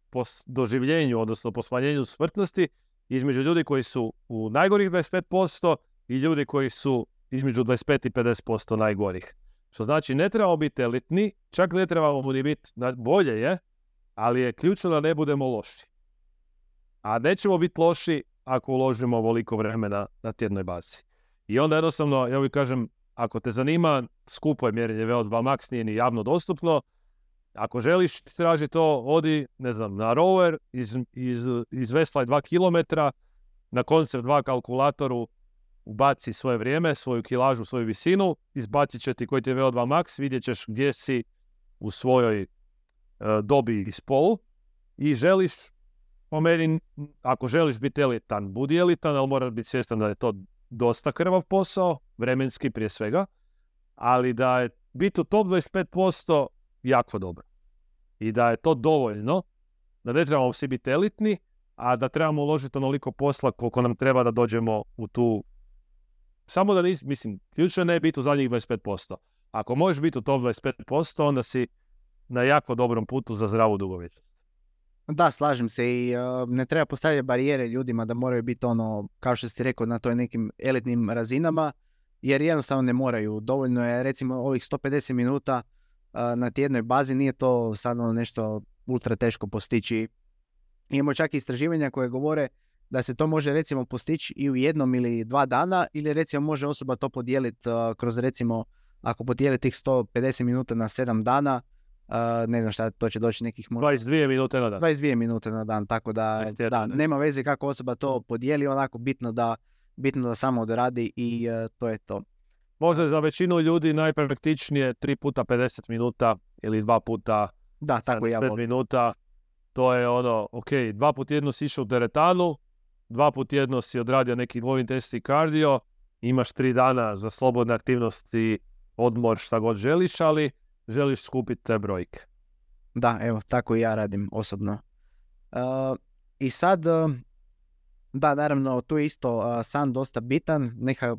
po doživljenju, odnosno po smanjenju smrtnosti, između ljudi koji su u najgorih 25% i ljudi koji su između 25 i 50% najgorih. Što znači, ne trebamo biti elitni, čak ne trebamo ni biti, bolje je, ali je ključno da ne budemo loši. A nećemo biti loši ako uložimo ovoliko vremena na tjednoj bazi. I onda jednostavno, ja uvijek kažem, ako te zanima, skupo je mjerenje VO2 max, nije ni javno dostupno. Ako želiš istražiti to, odi, ne znam, na rower, izveslaj 2 km, na Concept 2 kalkulatoru ubaci svoje vrijeme, svoju kilažu, svoju visinu, izbacit će ti koji ti je VO2 max, vidjet ćeš gdje si u svojoj dobi i spolu i želiš, po meni, ako želiš biti elitan, budi elitan, ali moraš biti svjestan da je to dosta krvav posao, vremenski prije svega, ali da je biti u top 25% jako dobro. I da je to dovoljno, da ne trebamo svi biti elitni, a da trebamo uložiti onoliko posla koliko nam treba da dođemo u tu... Samo da mislim, ključno ne biti u zadnjih 25%. Ako možeš biti u top 25%, onda si na jako dobrom putu za zdravu dugovječnost. Da, slažem se i ne treba postavljati barijere ljudima da moraju biti kao što si rekao, na toj nekim elitnim razinama, jer jednostavno ne moraju. Dovoljno je recimo ovih 150 minuta na tjednoj bazi, nije to sad nešto ultra teško postići. Imamo čak i istraživanja koje govore da se to može recimo postići i u 1 ili 2 dana, ili recimo može osoba to podijeliti kroz recimo, ako podijeli tih 150 minuta na 7 dana, ne znam šta, to će doći nekih možda... 22 minute na dan. 22 minute na dan, tako da nema veze kako osoba to podijeli, onako bitno da samo odradi i to je to. Možda za većinu ljudi najpraktičnije 3 puta 50 minuta ili 2 puta 5 minuta. To je ok, 2 puta tjedno si išao u teretanu, 2 puta tjedno si odradio neki low intensity cardio, imaš 3 dana za slobodne aktivnosti, odmor, šta god želiš, ali želiš skupiti te brojke. Da, evo, tako i ja radim osobno. I sad, da, naravno, tu je isto san dosta bitan.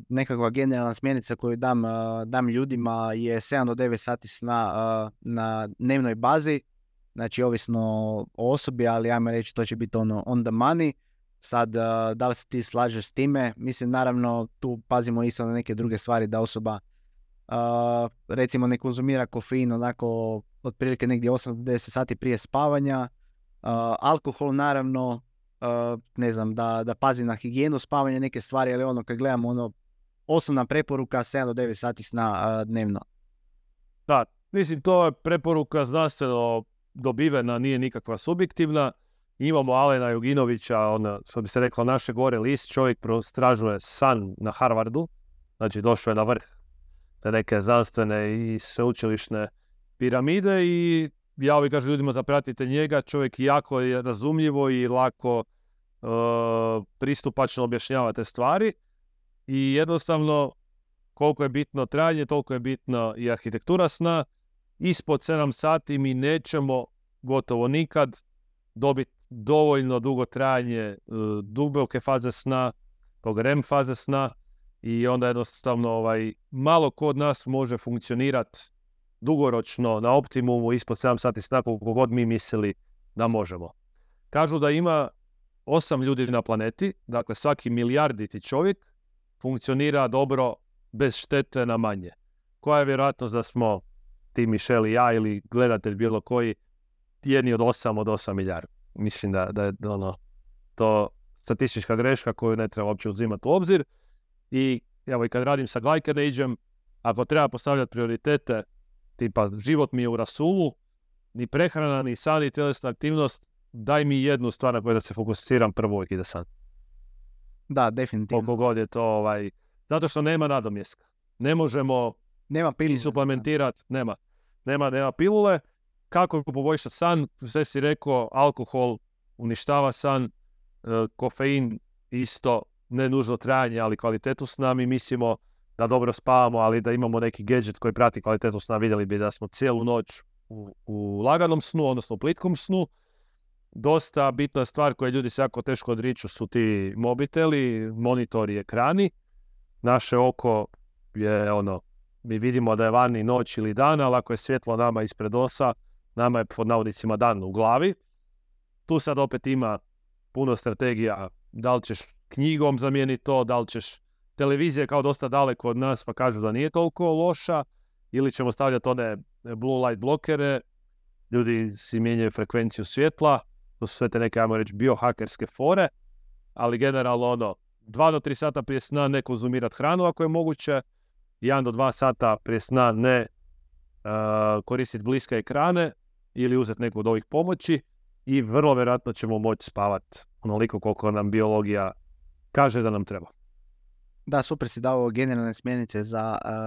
Nekakva generalna smjernica koju dam ljudima je 7 do 9 sati sna na dnevnoj bazi. Znači, ovisno o osobi, ali ajmo reći, to će biti on the money. Sad, da li se ti slažeš s time? Mislim, naravno, tu pazimo isto na neke druge stvari, da osoba recimo ne konzumira kofein onako otprilike negdje 8 do 10 sati prije spavanja. Alkohol naravno, ne znam, da pazi na higijenu spavanja, neke stvari, ali kad gledamo osnovna preporuka 7 do 9 sati sna dnevno. Da, mislim, to je preporuka znanstveno dobivena, nije nikakva subjektivna. Imamo Alena Juginovića, što bi se reklo, naše gore list, čovjek prostražuje san na Harvardu, znači došao je na vrh te neke znanstvene i sveučilišne piramide i ja uvijek kažem ljudima zapratite njega, čovjek jako je razumljivo i lako pristupačno objašnjava te stvari i jednostavno koliko je bitno trajanje, toliko je bitno i arhitektura sna. Ispod 7 sati mi nećemo gotovo nikad dobiti dovoljno dugo trajanje duboke faze sna, tog REM faze sna i onda jednostavno malo ko od nas može funkcionirati dugoročno na optimumu ispod 7 sati sna koliko god mi mislili da možemo. Kažu da ima 8 ljudi na planeti, dakle svaki milijarditi čovjek funkcionira dobro bez štete na manje. Koja je vjerojatnost da smo ti Mišel i ja ili gledatelj bilo koji jedni od 8 milijardi? Mislim da je to statistička greška koju ne treba uopće uzimati u obzir. I evo i kad radim sa Glycan Age-em, ako treba postavljati prioritete, tipa život mi je u rasulu, ni prehrana, ni san, ni tjelesna aktivnost, daj mi jednu stvar na koju da se fokusiram prvo uvijek ide san. Da, definitivno. Koliko god je to, zato što nema nadomjeska. Ne možemo i suplementirati, nema pilule. Kako poboljšati san? Sve si rekao, alkohol uništava san, kofein isto, ne nužno trajanje, ali kvalitetu sna. Mi mislimo da dobro spavamo, ali da imamo neki gadget koji prati kvalitetu sna. Vidjeli bi da smo cijelu noć u laganom snu, odnosno u plitkom snu. Dosta bitna stvar koju ljudi se jako teško odriču su ti mobiteli, monitori, ekrani. Naše oko je mi vidimo da je vani noć ili dan, ali ako je svjetlo nama ispred osa, nama je pod navodnicima dan u glavi. Tu sad opet ima puno strategija, da li ćeš knjigom zamijeniti to, da li ćeš televizija kao dosta daleko od nas pa kažu da nije toliko loša, ili ćemo stavljati one blue light blokere, ljudi si mijenjaju frekvenciju svjetla, to su sve te neke, ajmo reći, biohakerske fore, ali generalno 2 do 3 sata prije sna ne konzumirati hranu ako je moguće, 1 do 2 sata prije sna ne koristiti bliske ekrane ili uzeti neku od ovih pomoći i vrlo vjerojatno ćemo moći spavati onoliko koliko nam biologija kaže da nam treba. Da, super si dao generalne smjernice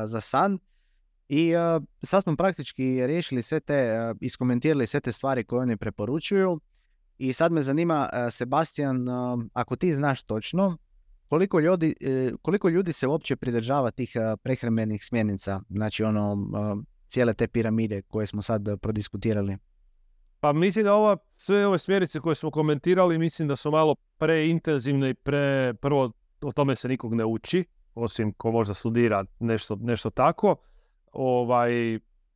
za san i sad smo praktički riješili sve te, iskomentirali sve te stvari koje oni preporučuju i sad me zanima, Sebastian, ako ti znaš točno, koliko ljudi se uopće pridržava tih prehrambenih smjernica, znači cijele te piramide koje smo sad prodiskutirali? Pa mislim da sve ove smjernice koje smo komentirali, mislim da su malo preintenzivne i prvo o tome se nikog ne uči, osim ko možda studira nešto tako.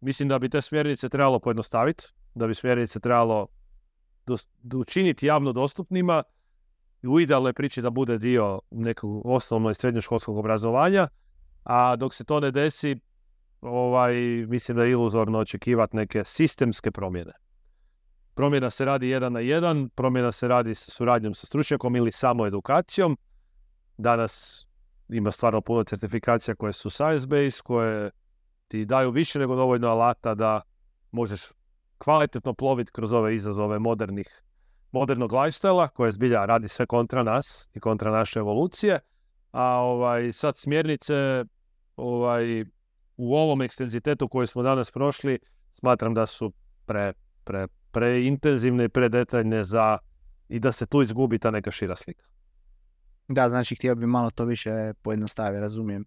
Mislim da bi te smjernice trebalo pojednostaviti, da bi smjernice trebalo učiniti javno dostupnima, u idealnoj priči da bude dio nekog osnovno i srednjoškolskog obrazovanja, a dok se to ne desi, mislim da je iluzorno očekivati neke sistemske promjene. Promjena se radi 1 na 1, promjena se radi sa suradnjom sa stručnjakom ili samo edukacijom. Danas ima stvarno puno certifikacija koje su science-based, koje ti daju više nego dovoljno alata da možeš kvalitetno ploviti kroz ove izazove modernog lifestyle-a, koje zbilja radi sve kontra nas i kontra naše evolucije. A sad smjernice u ovom ekstenzitetu koji smo danas prošli, smatram da su preintenzivne i predetaljne i da se tu izgubi ta neka šira slika. Da, znači htio bi malo to više pojednostaviti, razumijem.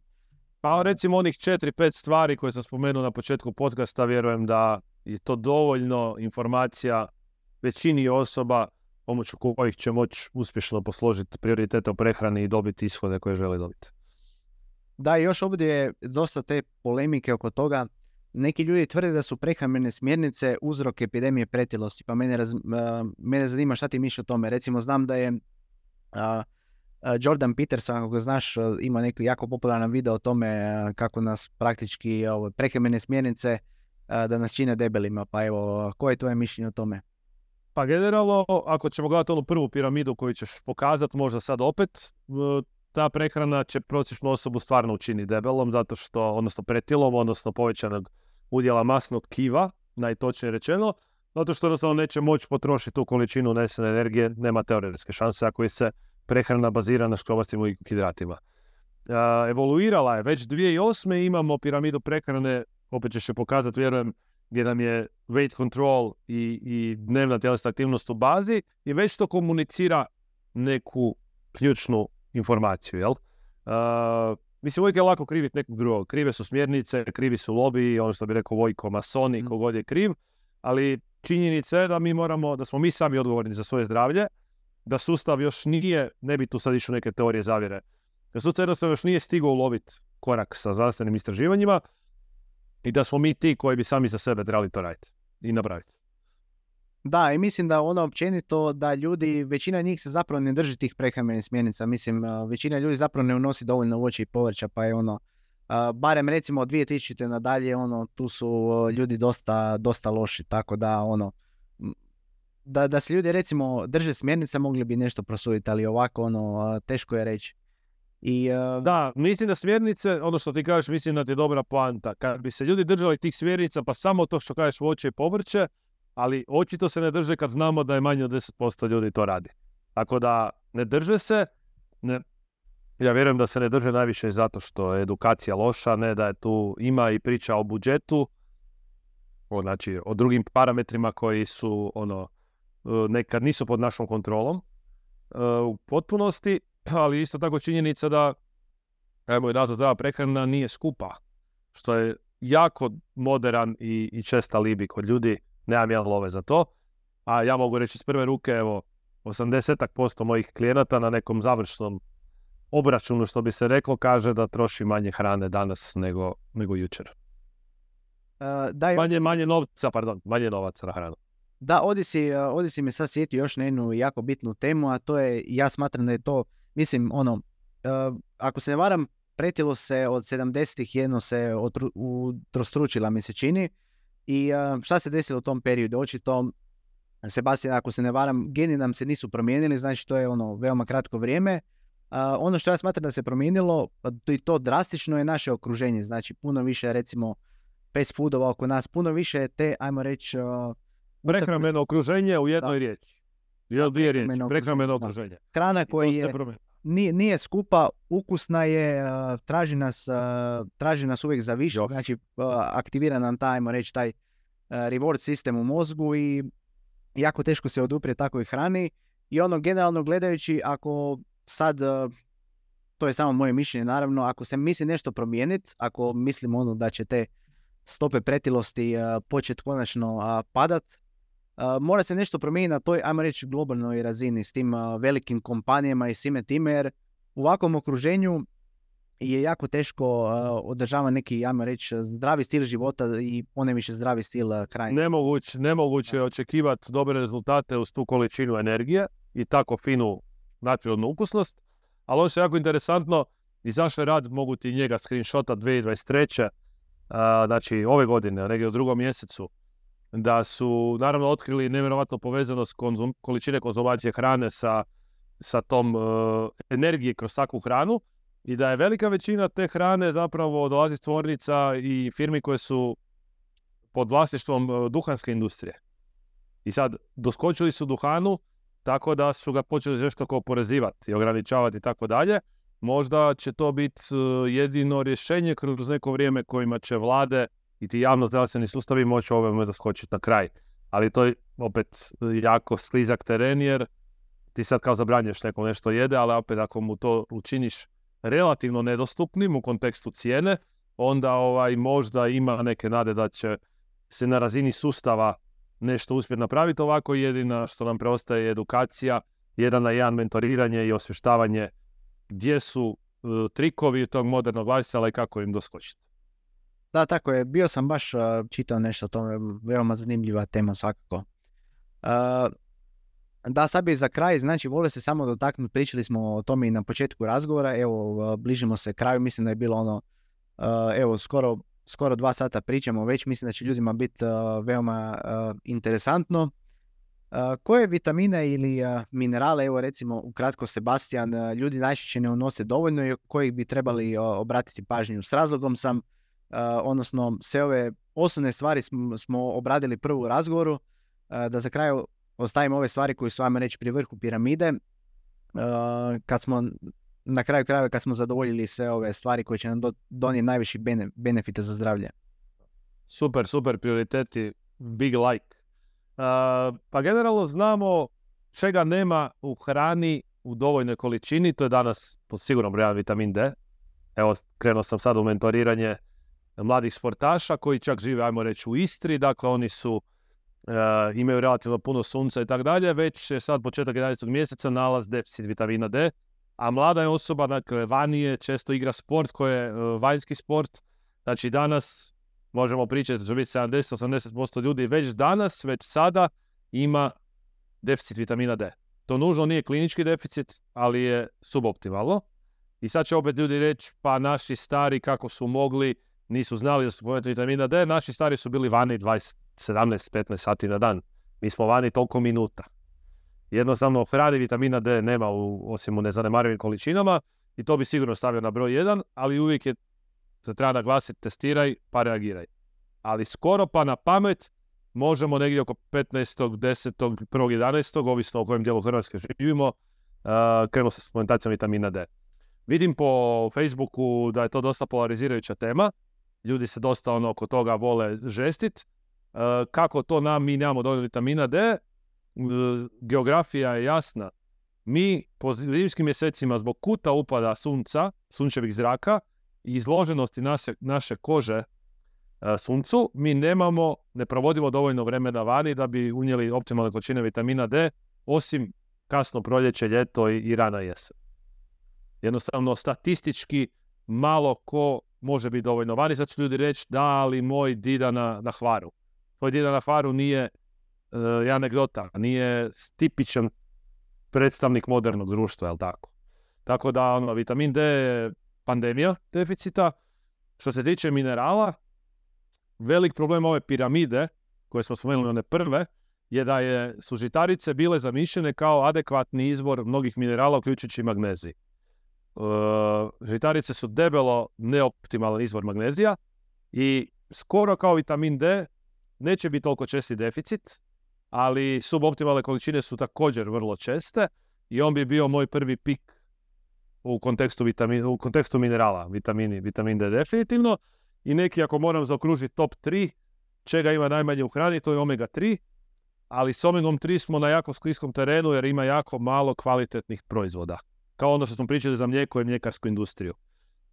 Pa recimo onih 4-5 stvari koje sam spomenuo na početku podcasta, vjerujem da je to dovoljno informacija većini osoba pomoću kojih će moći uspješno posložiti prioritete u prehrani i dobiti ishode koje žele dobiti. Da, još ovdje je dosta te polemike oko toga. Neki ljudi tvrde da su prehrambene smjernice uzrok epidemije pretilosti, pa mene zanima šta ti misliš o tome. Recimo, znam da je Jordan Peterson, ako ga znaš, ima neki jako popularan video o tome kako nas praktički prehrambene smjernice da nas čine debelima. Pa evo, koje je tvoje mišljenje o tome? Pa generalno, ako ćemo gledati onu prvu piramidu koju ćeš pokazati, možda sad opet, ta prehrana će prosječnu osobu stvarno učiniti debelom, odnosno pretilom, odnosno povećanog udjela masnog tkiva, najtočnije rečeno, zato što jednostavno neće moći potrošiti tu količinu unesene energije, nema teoretske šanse ako se prehrana bazira na škrobastim ugljikohidratima. Evoluirala je, već 2008. imamo piramidu prehrane, opet ćeš je pokazati, vjerujem, gdje nam je weight control i dnevna tjelesna aktivnost u bazi i već to komunicira neku ključnu informaciju, jel? Mislim, uvijek je lako kriviti nekog drugog. Krive su smjernice, krivi su lobiji, ono što bi rekao Vojko, masoni, kogod je kriv, ali činjenica je da smo mi sami odgovorni za svoje zdravlje, da sustav još ne bi tu sad išao neke teorije zavjere, da sustav jednostavno još nije stigao uloviti korak sa znanstvenim istraživanjima i da smo mi ti koji bi sami za sebe trebali to raditi i napraviti. Da, i mislim da općenito da većina njih se zapravo ne drži tih prehrambenih smjernica. Mislim, većina ljudi zapravo ne unosi dovoljno voća i povrća, pa je barem recimo od 2000. nadalje, tu su ljudi dosta loši, tako da da se ljudi recimo drže smjernica mogli bi nešto prosuditi, ali ovako teško je reći. Da, mislim da smjernice, ono što ti kažeš, mislim da ti je dobra poanta. Kad bi se ljudi držali tih smjernica, pa samo to što kažeš voće i povrće, ali očito se ne drže kad znamo da je manje od 10% ljudi to radi. Tako da ne drže se, ja vjerujem da se ne drže najviše zato što je edukacija loša, ne da je tu ima i priča o budžetu, znači o drugim parametrima koji su nekad nisu pod našom kontrolom u potpunosti, ali isto tako činjenica da i nazva zdrava prehrana nije skupa, što je jako moderan i čest alibi kod ljudi. Nemam ja love za to, a ja mogu reći iz prve ruke, 80% mojih klijenata na nekom završnom obračunu, što bi se reklo, kaže da troši manje hrane danas nego jučer. Manje novaca na hranu. Da, ovdje si me sad sjetio još na jednu jako bitnu temu, a to je, ja smatram da je to, mislim, ako se ne varam, pretilo se od 70-ih jedno se utrostručila, mi se čini. I šta se desilo u tom periodu? Očito, Sebastian, ako se ne varam, geni nam se nisu promijenili, znači to je veoma kratko vrijeme, Ono što ja smatram da se promijenilo, i to drastično, je naše okruženje. Znači, puno više, recimo, fast foodova oko nas, puno više te, ajmo reći... Prehrambeno okruženje u jednoj riječi. Dvije riječi. Prehrambeno okruženje. Hrana koja je... Nije skupa, ukusna je, traži nas uvijek za više, znači aktivira nam taj, ajmo reći, taj reward sistem u mozgu i jako teško se oduprijeti takvoj hrani. I ono, generalno gledajući, ako sad, to je samo moje mišljenje naravno, ako se misli nešto promijeniti, ako mislim ono da će te stope pretilosti početi konačno padat, mora se nešto promijeniti na toj, ajmo reći, globalnoj razini s tim velikim kompanijama i svime time, jer u ovakvom okruženju je jako teško održava neki, ajmo reći, zdravi stil života i ponajviše zdravi stil hrane. Nemoguće je očekivati dobre rezultate uz tu količinu energije i tako finu nadprirodnu ukusnost, ali ono što je jako interesantno, izašao je rad, mogu ti njega screenshota 2023. Znači ove godine, negdje u 2. mjesecu, da su naravno otkrili nevjerojatno povezanost količine konzumacije hrane sa tom energije kroz takvu hranu i da je velika većina te hrane zapravo dolazi iz tvornica i firmi koje su pod vlasništvom duhanske industrije. I sad doskočili su duhanu tako da su ga počeli žestoko oporezivati i ograničavati i tako dalje. Možda će to biti jedino rješenje kroz neko vrijeme kojima će vlade i ti javno-zdravstveni sustavi moći ovome doskočiti na kraj. Ali to je opet jako sklizak teren jer ti sad kao zabranjuješ nekom nešto jede, ali opet ako mu to učiniš relativno nedostupnim u kontekstu cijene, onda možda ima neke nade da će se na razini sustava nešto uspjeti napraviti. Ovako jedina što nam preostaje je edukacija, 1 na 1 mentoriranje i osvještavanje gdje su trikovi tog modernog lifestyle i kako im doskočiti. Da, tako je. Bio sam baš čitao nešto o tome, veoma zanimljiva tema svakako. Da, sad bi za kraj, znači volio se samo dotaknuti, pričali smo o tome i na početku razgovora, evo, bližimo se kraju, mislim da je bilo ono, evo, skoro 2 sata pričamo već, mislim da će ljudima biti veoma interesantno. Koje vitamine ili minerale, evo recimo ukratko Sebastian, ljudi najčešće ne unose dovoljno i kojih bi trebali obratiti pažnju? S razlogom sam, odnosno sve ove osnovne stvari smo obradili prvo u razgovoru, da za kraj ostavimo ove stvari koje su, ajmo reći, pri vrhu piramide, kad smo na kraju krajeva kad smo zadovoljili sve ove stvari koje će nam donijeti najviši benefite za zdravlje. Super prioriteti, big like. Pa generalno znamo čega nema u hrani u dovoljnoj količini, to je danas pod sigurno brojan vitamin D. Evo, krenuo sam sad u mentoriranje mladih sportaša koji čak žive, ajmo reći, u Istri, dakle oni su imaju relativno puno sunca i tako dalje, već je sad početak 11. mjeseca nalaz deficit vitamina D, a mlada je osoba, dakle, vanije, često igra sport koji je vanjski sport, znači danas možemo pričati da će biti 70-80% ljudi već danas, već sada ima deficit vitamina D. To nužno nije klinički deficit, ali je suboptimalno. I sad će opet ljudi reći, pa naši stari kako su mogli, nisu znali da su povijeti vitamina D, naši stari su bili vani 17-15 sati na dan. Mi smo vani toliko minuta. Jednostavno, hrani vitamina D nema osim u nezanemarivim količinama i to bi sigurno stavio na broj 1, ali uvijek je se treba naglasiti, testiraj pa reagiraj. Ali skoro pa na pamet možemo negdje oko 15. 10. 1. 11. ovisno o kojem dijelu Hrvatske živimo, krenuo sa suplementacijom vitamina D. Vidim po Facebooku da je to dosta polarizirajuća tema. Ljudi se dosta oko toga vole žestit. Kako to mi nemamo dovoljno vitamina D? Geografija je jasna. Mi po zimskim mjesecima zbog kuta upada sunca, sunčevih zraka i izloženosti naše kože suncu, mi ne provodimo dovoljno vremena vani da bi unijeli optimalne količine vitamina D, osim kasno proljeće, ljeto i rana jesen. Jednostavno, statistički malo ko može biti dovoljno vani. Sad će ljudi reći, da, ali moj dida na Hvaru. Tvoj dida na Hvaru nije anegdota, nije tipičan predstavnik modernog društva, jel tako? Tako da, vitamin D je pandemija deficita. Što se tiče minerala, velik problem ove piramide, koje smo spomenuli one prve, je da su žitarice bile zamišljene kao adekvatni izvor mnogih minerala, uključujući magnezij. žitarice su debelo neoptimalan izvor magnezija i skoro kao vitamin D neće biti toliko česti deficit, ali suboptimalne količine su također vrlo česte i on bi bio moj prvi pik u kontekstu minerala, vitamin D definitivno. I neki, ako moram zaokružiti top 3, čega ima najmanje u hrani, to je omega 3, ali s omegom 3 smo na jako skliskom terenu jer ima jako malo kvalitetnih proizvoda. Kao ono što smo pričali za mlijeko i mljekarsku industriju.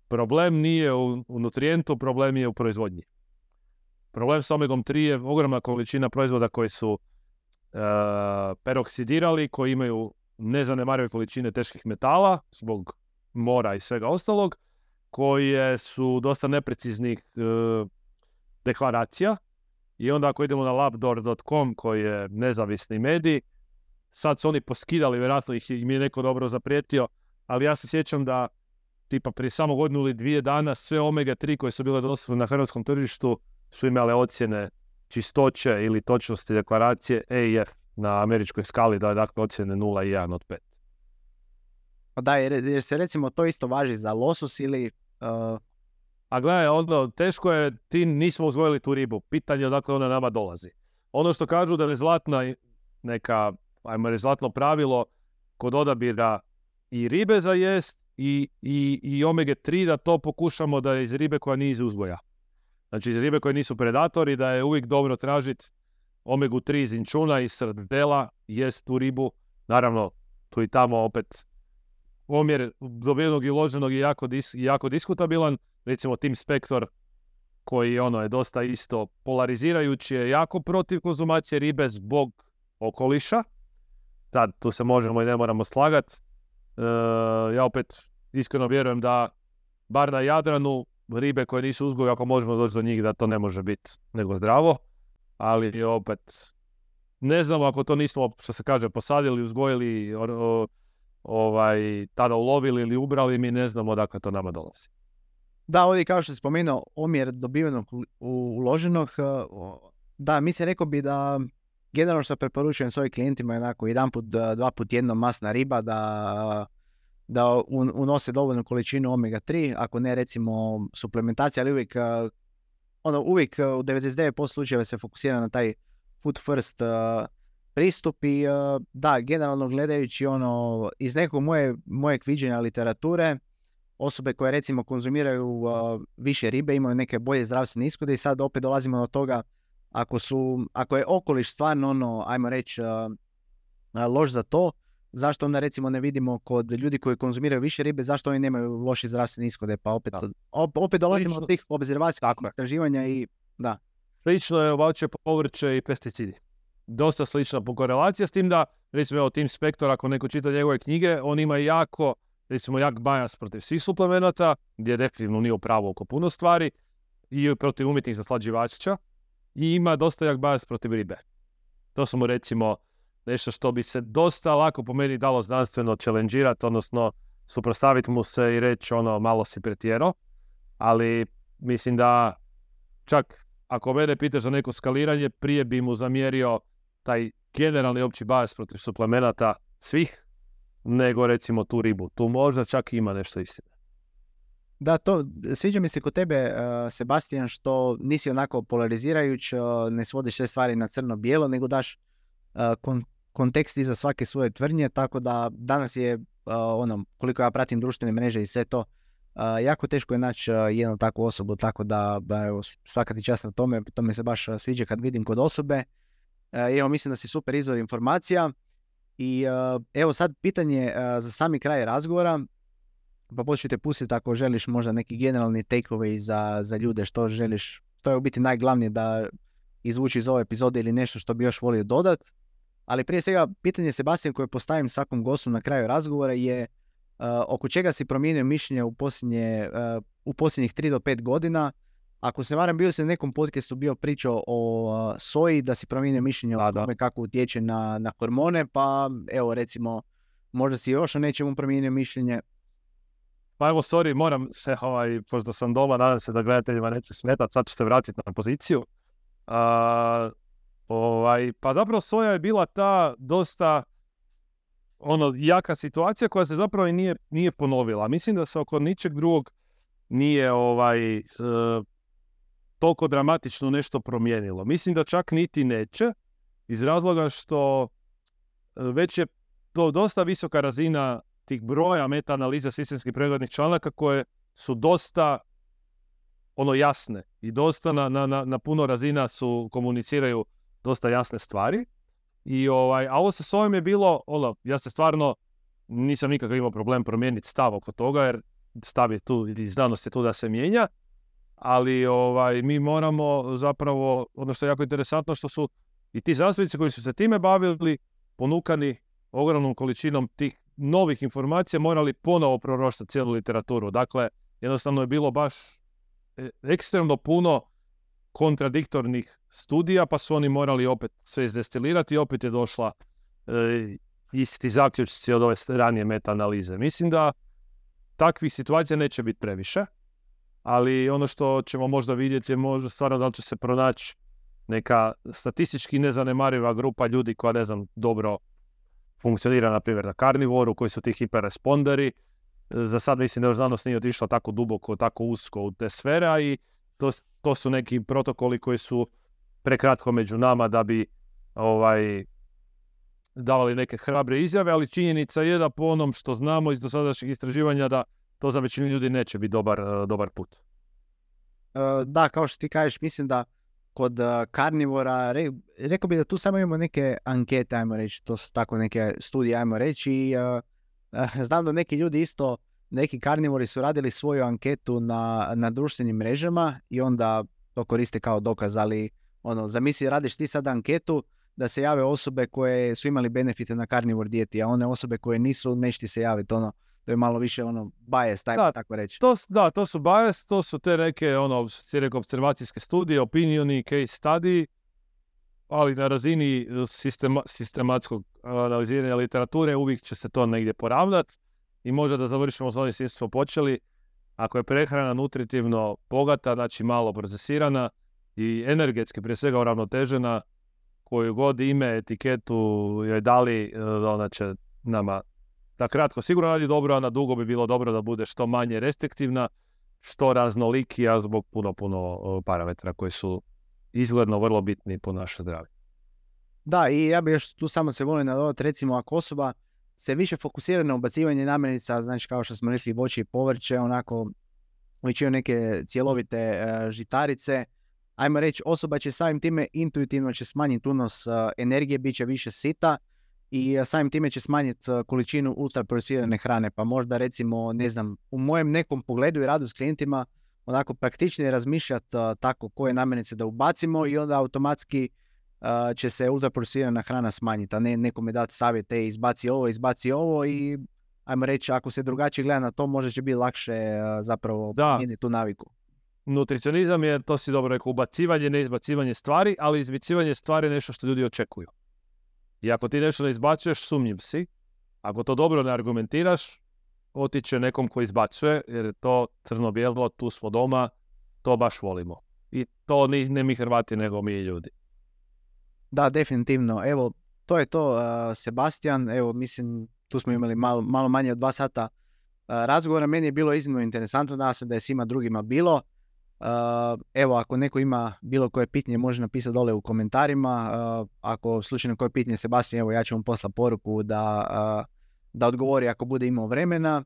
Problem nije u nutrijentu, problem je u proizvodnji. Problem s omegom 3 je ogromna količina proizvoda koji su peroksidirali, koji imaju nezanemarive količine teških metala zbog mora i svega ostalog, koje su dosta nepreciznih deklaracija. I onda ako idemo na labdoor.com koji je nezavisni medij, sad su oni poskidali, vjerojatno im je neko dobro zaprijetio, ali ja se sjećam da tipa prije samo godinu ili 2 dana sve omega 3 koje su bile dostupne na hrvatskom tržištu su imale ocjene čistoće ili točnosti deklaracije A i F na američkoj skali, da je dakle ocjene 0 i 1 od 5. Da, jer se recimo to isto važi za losos ili... A gledaj, teško je, ti nismo uzgojili tu ribu, pitanje je odakle ona nama dolazi. Ono što kažu da je zlatna neka, ajmo reći, zlatno pravilo kod odabira i ribe za jest i omega 3, da to pokušamo da je iz ribe koja nije iz uzgoja. Znači iz ribe koje nisu predatori, da je uvijek dobro tražiti omegu 3 iz inčuna i srdela, jest tu ribu. Naravno, tu i tamo opet omjer dobivenog i uloženog je jako diskutabilan. Recimo Tim Spector, koji je dosta isto polarizirajući, je jako protiv konzumacije ribe zbog okoliša. Tad tu se možemo i ne moramo slagati. Ja opet iskreno vjerujem da bar na Jadranu ribe koje nisu uzgoj, ako možemo doći do njih, da to ne može biti nego zdravo. Ali opet ne znamo ako to nismo, što se kaže, posadili, uzgojili, tada ulovili ili ubrali, mi ne znamo odakle to nama dolazi. Da, ovdje kao što si spomenuo, omjer dobivenog uloženog, da, mislim rekao bi da generalno što preporučujem svojim klijentima je onako 1-2 puta tjedno masna riba da unose dovoljnu količinu omega 3, ako ne recimo suplementacija, ali uvijek u 99% slučajeva se fokusira na taj food first pristup i da, generalno gledajući iz nekog mojeg viđenja literature, osobe koje recimo konzumiraju više ribe imaju neke bolje zdravstvene ishode i sad opet dolazimo do toga ako je okoliš stvarno ajmo reći loš za to, zašto onda recimo ne vidimo kod ljudi koji konzumiraju više ribe, zašto oni nemaju loše zdravstvene ishode, pa opet dolazimo do tih obzervacijskih istraživanja i da. Slično je voće, povrće i pesticidi. Dosta slična korelacija s tim da, recimo Tim Spector, ako neko čita njegove knjige, on ima jak bias protiv svih suplemenata, gdje definitivno nije u pravu oko puno stvari, i protiv umjetnih zaslađivača, i ima dosta jak bias protiv ribe. To su mu recimo nešto što bi se dosta lako po meni dalo znanstveno challengeirati, odnosno suprotstaviti mu se i reći malo si pretjerao, ali mislim da čak ako mene pitaš za neko skaliranje, prije bi mu zamjerio taj generalni opći bias protiv suplemenata svih, nego recimo tu ribu. Tu možda čak ima nešto istine. Da, to sviđa mi se kod tebe, Sebastian, što nisi onako polarizirajuć, ne svodiš sve stvari na crno-bijelo, nego daš kontekst iza svake svoje tvrdnje, tako da danas je, koliko ja pratim društvene mreže i sve to, jako teško je naći jednu takvu osobu, tako da evo, svaka ti čast na tome, to mi se baš sviđa kad vidim kod osobe. Evo, mislim da si super izvor informacija i evo sad pitanje za sami kraj razgovora, pa početi te pustiti ako želiš možda neki generalni takeaway za ljude, što želiš, to je u biti najglavnije da izvuči iz ove epizode ili nešto što bi još volio dodat. Ali prije svega pitanje, Sebastian, koje postavim svakom gostu na kraju razgovora je oko čega si promijenio mišljenje u posljednjih 3 do 5 godina. Ako se varam, bio si na nekom podcastu bio pričao o soji, da si promijenio mišljenje o tome kako utječe na hormone, pa evo recimo, možda si još o nečemu promijenio mišljenje. Pa evo, sorry, moram se, pošto sam doma, nadam se da gledateljima neće smetati, sad ću se vratiti na poziciju. Pa zapravo soja je bila ta dosta jaka situacija koja se zapravo i nije ponovila. Mislim da se oko ničeg drugog nije toliko dramatično nešto promijenilo. Mislim da čak niti neće, iz razloga što već je to dosta visoka razina tih broja meta-analiza sistemskih preglednih članaka koje su dosta jasne i dosta na puno razina komuniciraju dosta jasne stvari. A ovo sa ovim je bilo, ja se stvarno nisam nikakav imao problem promijeniti stav oko toga, jer stav je tu i znanost je tu da se mijenja, ali mi moramo zapravo, ono što je jako interesantno, što su i ti znanstvenici koji su se time bavili, ponukani ogromnom količinom tih novih informacija, morali ponovo proroštati cijelu literaturu. Dakle, jednostavno je bilo baš ekstremno puno kontradiktornih studija, pa su oni morali opet sve izdestilirati i opet je došla isti zaključci od ove ranije meta-analize. Mislim da takvih situacija neće biti previše, ali ono što ćemo možda vidjeti je možda stvarno da li će se pronaći neka statistički nezanemariva grupa ljudi koja, ne znam, dobro funkcionira, na primjer, na karnivoru, koji su ti hiperresponderi. Za sad mislim da još znanost nije otišla tako duboko, tako usko u te sfere, i to su neki protokoli koji su prekratko među nama da bi davali neke hrabre izjave, ali činjenica je da po onom što znamo iz dosadašnjih istraživanja da to za većinu ljudi neće biti dobar put. Da, kao što ti kažeš, mislim da kod karnivora, rekao bih da tu samo imamo neke ankete, ajmo reći, to su tako neke studije, ajmo reći, i znam da neki ljudi isto, neki karnivori su radili svoju anketu na društvenim mrežama i onda to koriste kao dokaz, ali zamisli, radiš ti sad anketu da se jave osobe koje su imali benefite na karnivor dijeti, a one osobe koje nisu, neće ti se javiti, to je malo više bias, tako reći. To su bias, to su te neke observacijske studije, opinioni, case study, ali na razini sistematskog analiziranja literature uvijek će se to negdje poravnati i možda da završimo s onim s smo počeli. Ako je prehrana nutritivno bogata, znači malo procesirana i energetski prije svega uravnotežena, koju god ime, etiketu joj dali, ona će nama na kratko sigurno radi dobro, a na dugo bi bilo dobro da bude što manje restriktivna, što raznolikija zbog puno parametra koji su izgledno vrlo bitni po naše zdravlje. Da, i ja bih još tu samo se volim nadodati, recimo ako osoba se više fokusira na ubacivanje namirnica, znači kao što smo rekli, voće i povrće, onako većinu neke cjelovite žitarice, ajmo reći, osoba će samim time intuitivno će smanjiti unos energije, bit će više sita i samim time će smanjiti količinu ultraprocesirane hrane. Pa možda recimo, ne znam, u mojem nekom pogledu i radu s klijentima onako praktičnije razmišljati tako koje namirnice da ubacimo i onda automatski će se ultraprocesirana hrana smanjiti, a ne nekome dati savjete, izbaci ovo i ajmo reći, ako se drugačije gleda na to, možda će biti lakše zapravo promijeniti tu naviku. Nutricionizam je, to si dobro rekao, ubacivanje, ne izbacivanje stvari, ali izbacivanje stvari je nešto što ljudi očekuju. I ako ti nešto ne izbacuješ, sumnjiv si. Ako to dobro ne argumentiraš, otiće nekom ko izbacuje, jer je to crno-bijelo, tu smo doma, to baš volimo. I to ne mi Hrvati, nego mi ljudi. Da, definitivno. Evo, to je to, Sebastian. Evo, mislim, tu smo imali malo manje od 2 sata razgovora. Meni je bilo iznimno interesantno, nadam se da je svima drugima bilo. Evo, ako neko ima bilo koje pitanje, može napisati dole u komentarima. Ako slučajno koje pitanje Sebastian, evo, ja ću vam poslati poruku da odgovori ako bude imao vremena.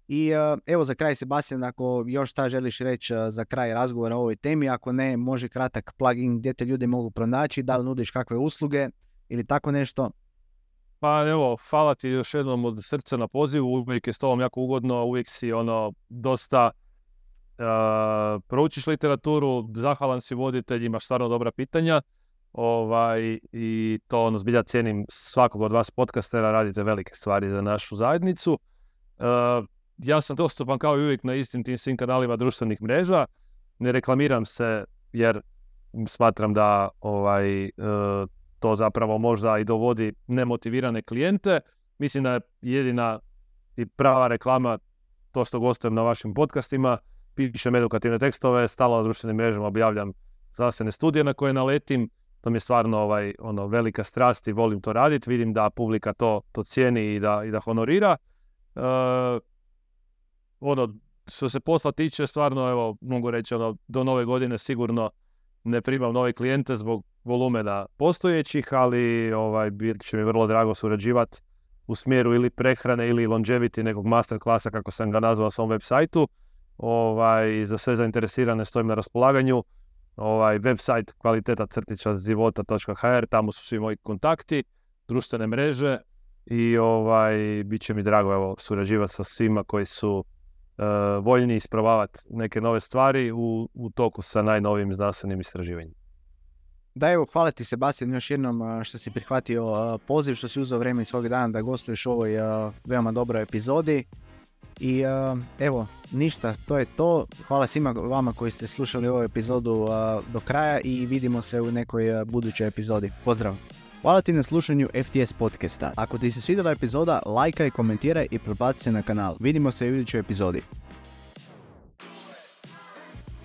I evo, za kraj, Sebastian, ako još šta želiš reći za kraj razgovora o ovoj temi, ako ne, može kratak plugin gdje te ljudi mogu pronaći, da li nudiš kakve usluge ili tako nešto. Pa evo, hvala ti još jednom od srca na pozivu, uvijek je s tobom jako ugodno, uvijek si dosta proučiš literaturu, zahvalan si voditelj, imaš stvarno dobra pitanja i to zbilja cijenim svakog od vas podcastera, radite velike stvari za našu zajednicu. Ja sam dostupan kao i uvijek na istim tim svim kanalima društvenih mreža, ne reklamiram se jer smatram da to zapravo možda i dovodi nemotivirane klijente. Mislim da je jedina i prava reklama to što gostujem na vašim podcastima, pišem edukativne tekstove, stalno na društvenim mrežama objavljam znanstvene studije na koje naletim To mi je stvarno velika strast i volim to raditi. Vidim da publika to cijeni i da honorira. Što se posla tiče, stvarno, evo, mogu reći, do nove godine sigurno ne primam nove klijente zbog volumena postojećih, ali bit će mi vrlo drago surađivati u smjeru ili prehrane ili longevity nekog masterklasa, kako sam ga nazvao na svom web sajtu. Za sve zainteresirane stojim na raspolaganju. Website kvaliteta-života.hr, tamo su svi moji kontakti, društvene mreže i bit će mi drago surađivati sa svima koji su voljni isprobavati neke nove stvari u toku sa najnovijim znanstvenim istraživanjima. Da, evo, hvala ti Sebastian još jednom što si prihvatio poziv, što si uzeo vrijeme iz svog dana da gostuješ u ovoj veoma dobroj epizodi. I evo, ništa, to je to. Hvala svima vama koji ste slušali ovu epizodu do kraja i vidimo se u nekoj budućoj epizodi. Pozdrav! Hvala ti na slušanju FTS podcasta. Ako ti se svidjela epizoda, lajkaj, komentiraj i pretplati se na kanal. Vidimo se u idućoj epizodi.